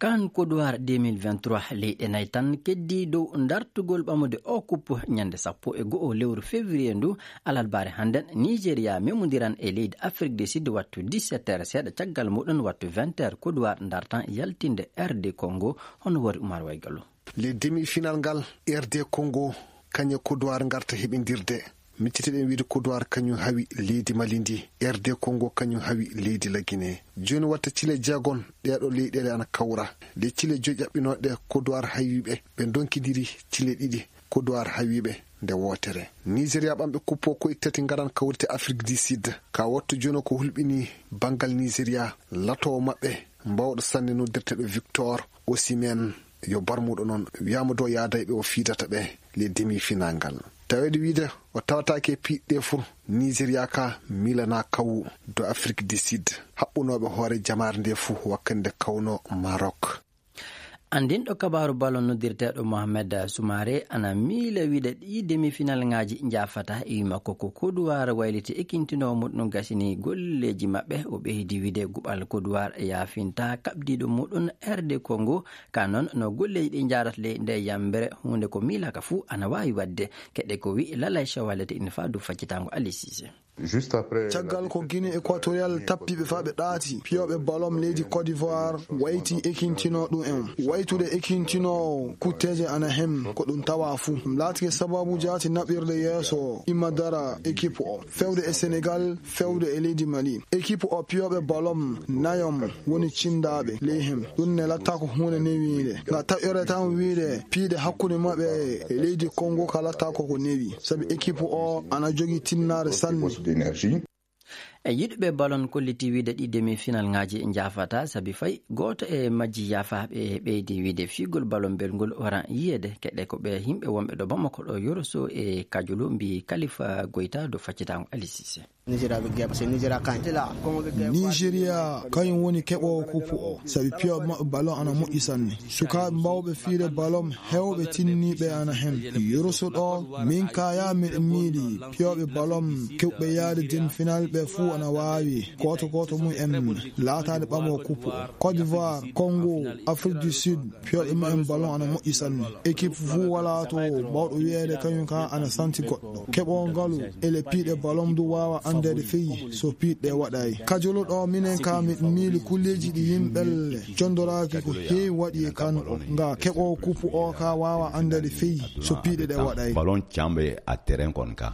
Kan Kodowar 2023 leyɗe nayi tan keddi dow dartugol ɓamude o kuppu ñande 11 lewru février ndu alalbare hannden Nigéria memodiran e leydi Afrique du Sud wattu 17h seeɗa caggal muɗum wattu 20h Kodowar dartan yaltinde RD Congo hono wori Oumar Waygalo. Le demi final ngal RD Congo kañe Kodowar garta heɓindirde. Micciteɗen wiide Kodowar kañum hawi leydi Mali ndi, RD Congo kañum hawi leydi la Guinée. Joni watta cile jeegon ɗeɗo leyɗele ana kawra. Nde cile joyi ƴaɓɓinoɗe Kodowar hawiɓe ɓe donkidiri cile ɗiɗi Kodowar hawiɓe nde wootere. Nigéria ɓamɓe kuppo koye tati garan kawrite Afrique du Sud. Ka wattu joni ko hulɓini banggal Nigéria latowo maɓɓe mbawɗo sanne noddirteɗo Victor Osimhen yo barmuɗo noon wiyama dow yaada e ɓe o fiidata ɓe le demi final ngal. Tawede wiide o tawatake piɗɗe fuu Nigéria ka milana kawu do Afrique du Sud haɓɓunoɓe hoore jamare nde fuu wakkande kawno Maroc. Andinɗo kabaru ballon noddirteɗo Mohamed Soumaré ana miila wiide ɗi demi final ngaji jafata e wi makko ko Kodowar wayliti ekkintinowo muɗum gasini golleji maɓɓe. O ɓeydi wiide guɓal Kodowar yafinta kaɓdiɗo muɗum RD Congo ka noon no golleji ɗi jarata ley nde yambere hunde ko miilaka fuu ana wawi wadde. Keɗe ko wi Lalay Chawalete ina fa du faccitago Ali Cissé. Caggal ko Guinée équatorial tappiɓe fa ɓe ɗaati piyoɓe balom leydi Côte d'Ivoire wayti ekkintino ɗum en waytude ekkintino kutteje ana hem ko ɗum tawa fuu ɗum laatike sababu jaati naɓirde yeeso immadara équipe o fewde e Sénégal fewde e leydi Mali. Équipe o piyoɓe balom nayom woni cindaɓe ley hem ɗum ne latta ko hunde newiide nga taƴore tan wiide piiɗe hakkude maɓɓe e leydi Congo ka latta koko newi sabi équipe o ana jogii tinnare sanne. E yiɗɓe ballon kolliti wiide ɗi demi final ngaji jafata sabi fay goto e majji yafa ɓe ɓeydi wiide figol ballon belngol waran yiyede. Keɗe ko ɓe yimɓe wonɓe ɗo Bamako ɗo Yoroso e Kajulu mbi Kalifa Goyta do faccitago Ali Cissé. Nigéria kañum woni keɓowo kuppu o sabi piyoɓe maɓɓe ballon ana moƴƴi sanne. Sukaɓe mbawɓe fiide ballon hewɓe tinniɓe ana hen. Yoroso ɗo min kaya miɗen miili piyoɓe ballon kewɓe yaade demi final ɓe fuu ana wawi goto goto mum en laatade ɓamo kuppu o. Côte d'Ivoire, Congo, Afrique du Sud piyoɓe mumen ballon ana moƴƴi sanne. Équipe fuu wala to mbawɗo wiyeede kañum ka ana santi goɗɗo. Keɓo ngalu ele piiɗe ballon du wawa andede feyi so piiɗɗe waɗay. Kajolo ɗo minen ka miɗen miili kulleji ɗi yimɓelle jondoraki ko heewi waɗi e kan o nga keɓo kuppu o ka wawa andede feyi so piiɗe ɗe waɗay. Ballon cambe a terrain kon ka.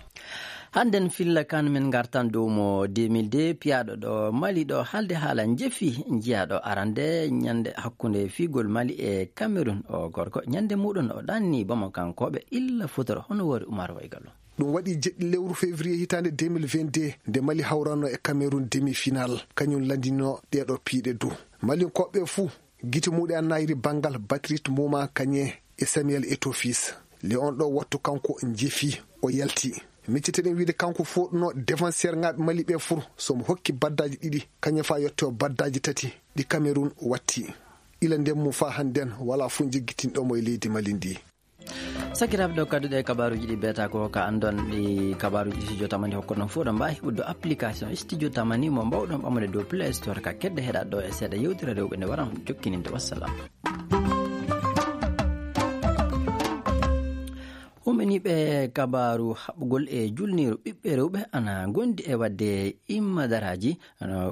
Hannden filla kan min gartan dow mo 2002 piyaɗo ɗo Mali ɗo haalde haala jefi jiyaɗo arande ñande hakkunde figol Mali e Cameroun o gorko ñande muɗum o ɗanni Bamakankoɓe illa futoro hono wori Oumar Waygalo. Ɗum waɗi jeɗɗi lewru février hitande 2022 nde Mali hawranno e Cameroun demi final kañum landino ɗeɗo piiɗe du. Malinkoɓe fuu gite muɗum an nayiri bangal Batrit Mouma kañe e Samuel Eto'o Fils. Le on ɗo wattu kanko jefi o yalti. Micciteɗen wiide kanko foɗuno défenseur ngaɓe Mali ɓe fur somo hokki baddaji ɗiɗi kañum fa yetto baddaji tati ɗi Cameroun watti. Ila nden mum fa hannden wala fu jeggitinɗomo e leydi Mali ndi. Sakiraɓe ɗo kadduɗe kabaruji ɗi beta ko ka andon ɗi kabaruji Studio Tamani hokkoɗon fo ɗon mbawi heɓude application Studio Tamani mo mbawɗon ɓamude dow Play Store ka kedde heɗat ɗo e seeɗa yewtere rewɓe nde waran jokkininde. Wassalam. Umeniɓe kabaru haɓugol e julniru ɓiɓɓe rewɓe ana gondi e wadde immadaraji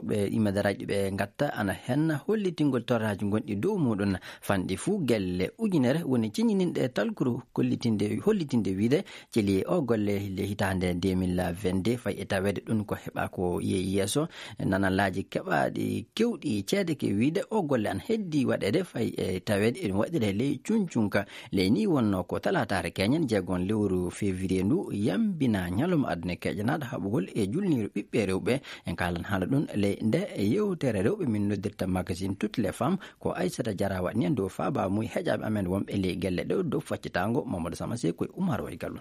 ɓe immadaraji ɓe gatta ana henna hollitingol torraji gonɗi dow muɗum fanɗi fuu gelle 1000 woni ciñininɗe talkuru hollitinde wiide celi o golle le hitande 2022 fay e tawede ɗum ko heɓa ko yeeyi yeeso nanallaji keɓaɗi kewɗi ceede ke wiide o golle ana heddi waɗede fay e tawede eɗum waɗire ley cuncunka ley ni wonno ko talatare keñen jeegon lewru février ndu yambina ñalawma aduna keƴanaɗo haɓugol e julniru ɓiɓɓe rewɓe en kalan haala ɗum ley nde yewtere rewɓe min noddirta magazine toutes les femmes ko Aissata Diarra waɗni en dow faaba muy heƴaɓe amen wonɓe ley gelle ɗo dow faccitago Mamadou Samase koye Oumar Waygallo.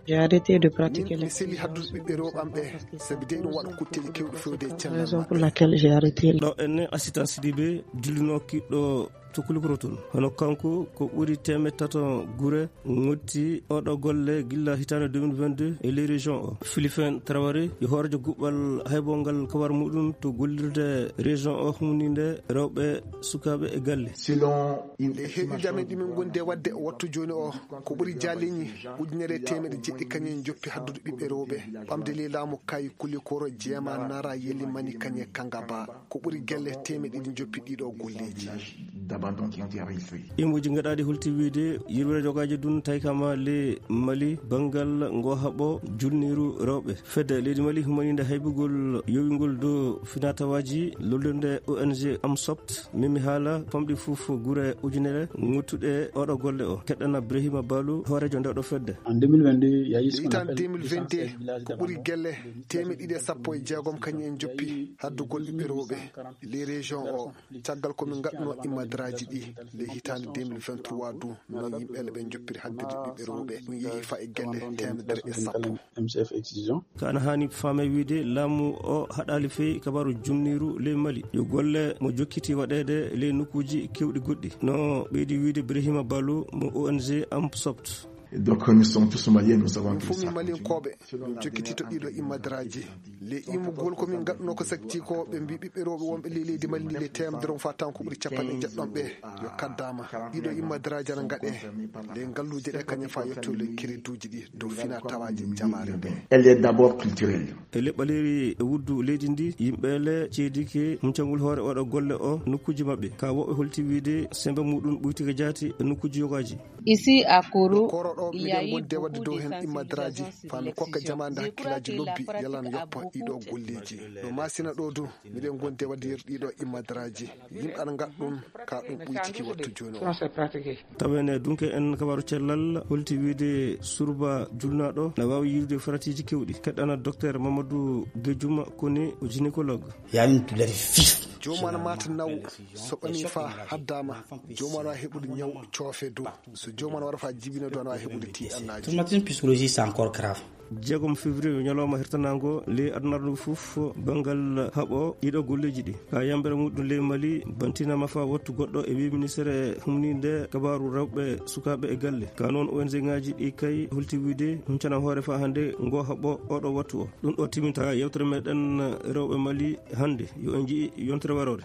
J'ai arrêté de pratiquer mi seli haddude ɓiɓɓe rewɓe am ɓe sabi de ɗum waɗa kutteji kewɗe fewde e cellal. Raison pour laquelle j'ai arrêté. Ɗo enne assistant Sidibé dillino kiɗɗo to Koulikoro toon hono kanko ko ɓuuri 300 guure gotti oɗo golle gilla hitande 2022 e ley région o. Philippin Traoré yo horejo guɓɓal haybongal kabar muɗum to gollirde région o humnide rewɓe sukaɓe e galle. Nde heeɓide amen ɗimin gonde wadde wattu joni o ko ɓuuri jaleñi 1700 kañum joppi haddude ɓiɓɓe rewɓe ɓamde ley laamu kayi Koulikoro jeema Nara Yelimani kañe Kangaba ko ɓuuri gelle 200 joppi ɗiɗo golleji. Immoji gaɗaɗi holti wiide yirwere jogaji dun tawi kama le Mali banggal ngo haɓo julniru rewɓe fedde leydi Mali humanide haybugol yowingol dow finatawaji lollirde ONG Amsopt mimi haala famɗi fof guure 1000 gottuɗe oɗo golle o. Keɗɗana Brahima Balou hoorejo nde ɗo fedde. Hitan 2022 ko ɓuuri gelle 216 kañum en joppi haddugol ɓiɓɓe rewɓe les région o caggal komin gaɗno immadaraji ɗi le hitande 2023 du non yimɓe ɓe joppiri haddide ɓiɓɓe rewɓe ɗum yeehi fa e gelle 110. Ko ana hani faame wiide laamu o haɗali fewi kabaru junniru ley Mali yo golle mo jokkiti waɗede ley nokkuji kewɗi goɗɗi no ɓeydi wiide Brahima Balou mo ONG Amsopt. Donc nous sommes tous maliens, nous savons que ça. Malien-koɓe min jokkiti to ɗiɗo immadaraji le immugol komin gaɗuno ko sakti ko ɓe mbi ɓiɓɓe rewɓe wonɓe ley leydi Mali ndi le temedere fa tan ko ɓuuri 80 ɓe yo kaddama ɗiɗo immadaraji ana gaɗe le galluje ɗe kañum fa yetto le crédit ɗi dow fina tawaji jamare nde. Elle est d'abord culturelle. E leɓɓaleri e wuddu leydi ndi yimɓeele ceedike humcangol hoore oɗo golle o nokkuji maɓɓe ka woɓɓe holti wiide sembe muɗum ɓuytike jaati e nokkuji yogaji. Ici à Koro ɗo miɗen gonde wadde dow hen immadaraji fami kokka jamande hakkillaji lobbi yalan yoppa ɗiɗo golleji no masina ɗo du miɗen gonde wadde yer ɗiɗo immadaraji yimɓe aɗa gaɗa ɗum ka ɗum ɓuytiki wattu joni o. Tawene dunke en kabaru cellal holti wiide surba julnaɗo na wawi yirude faratiji kewɗi. Keɗɗana docteur Mamadou Guedjouma Kone o gynécologue. Jomum ana mata naw so ɓami fa haddama jomum ana wawi heɓude ñaw coofe dow so jomum ana wara fa jibina do ana wawi heɓude tiɗannaji. Traumatisme psychologique c'est encore grave. 6 février ñalawma hertanango ley adunaaru ndu fof banggal haɓo ɗiɗo golleji ɗi ka yambere muɗum ley Mali bantinama fa wattu goɗɗo e wi ministére humnide kabaru rewɓe sukaɓe e galle ka noon ONG ngaji ɗi kay holti wiide huncana hoore fa hande ngo haɓo oɗo wattu o ɗum ɗo timinta yewtere meɗen rewɓe Mali hande yo en jii yontere warore.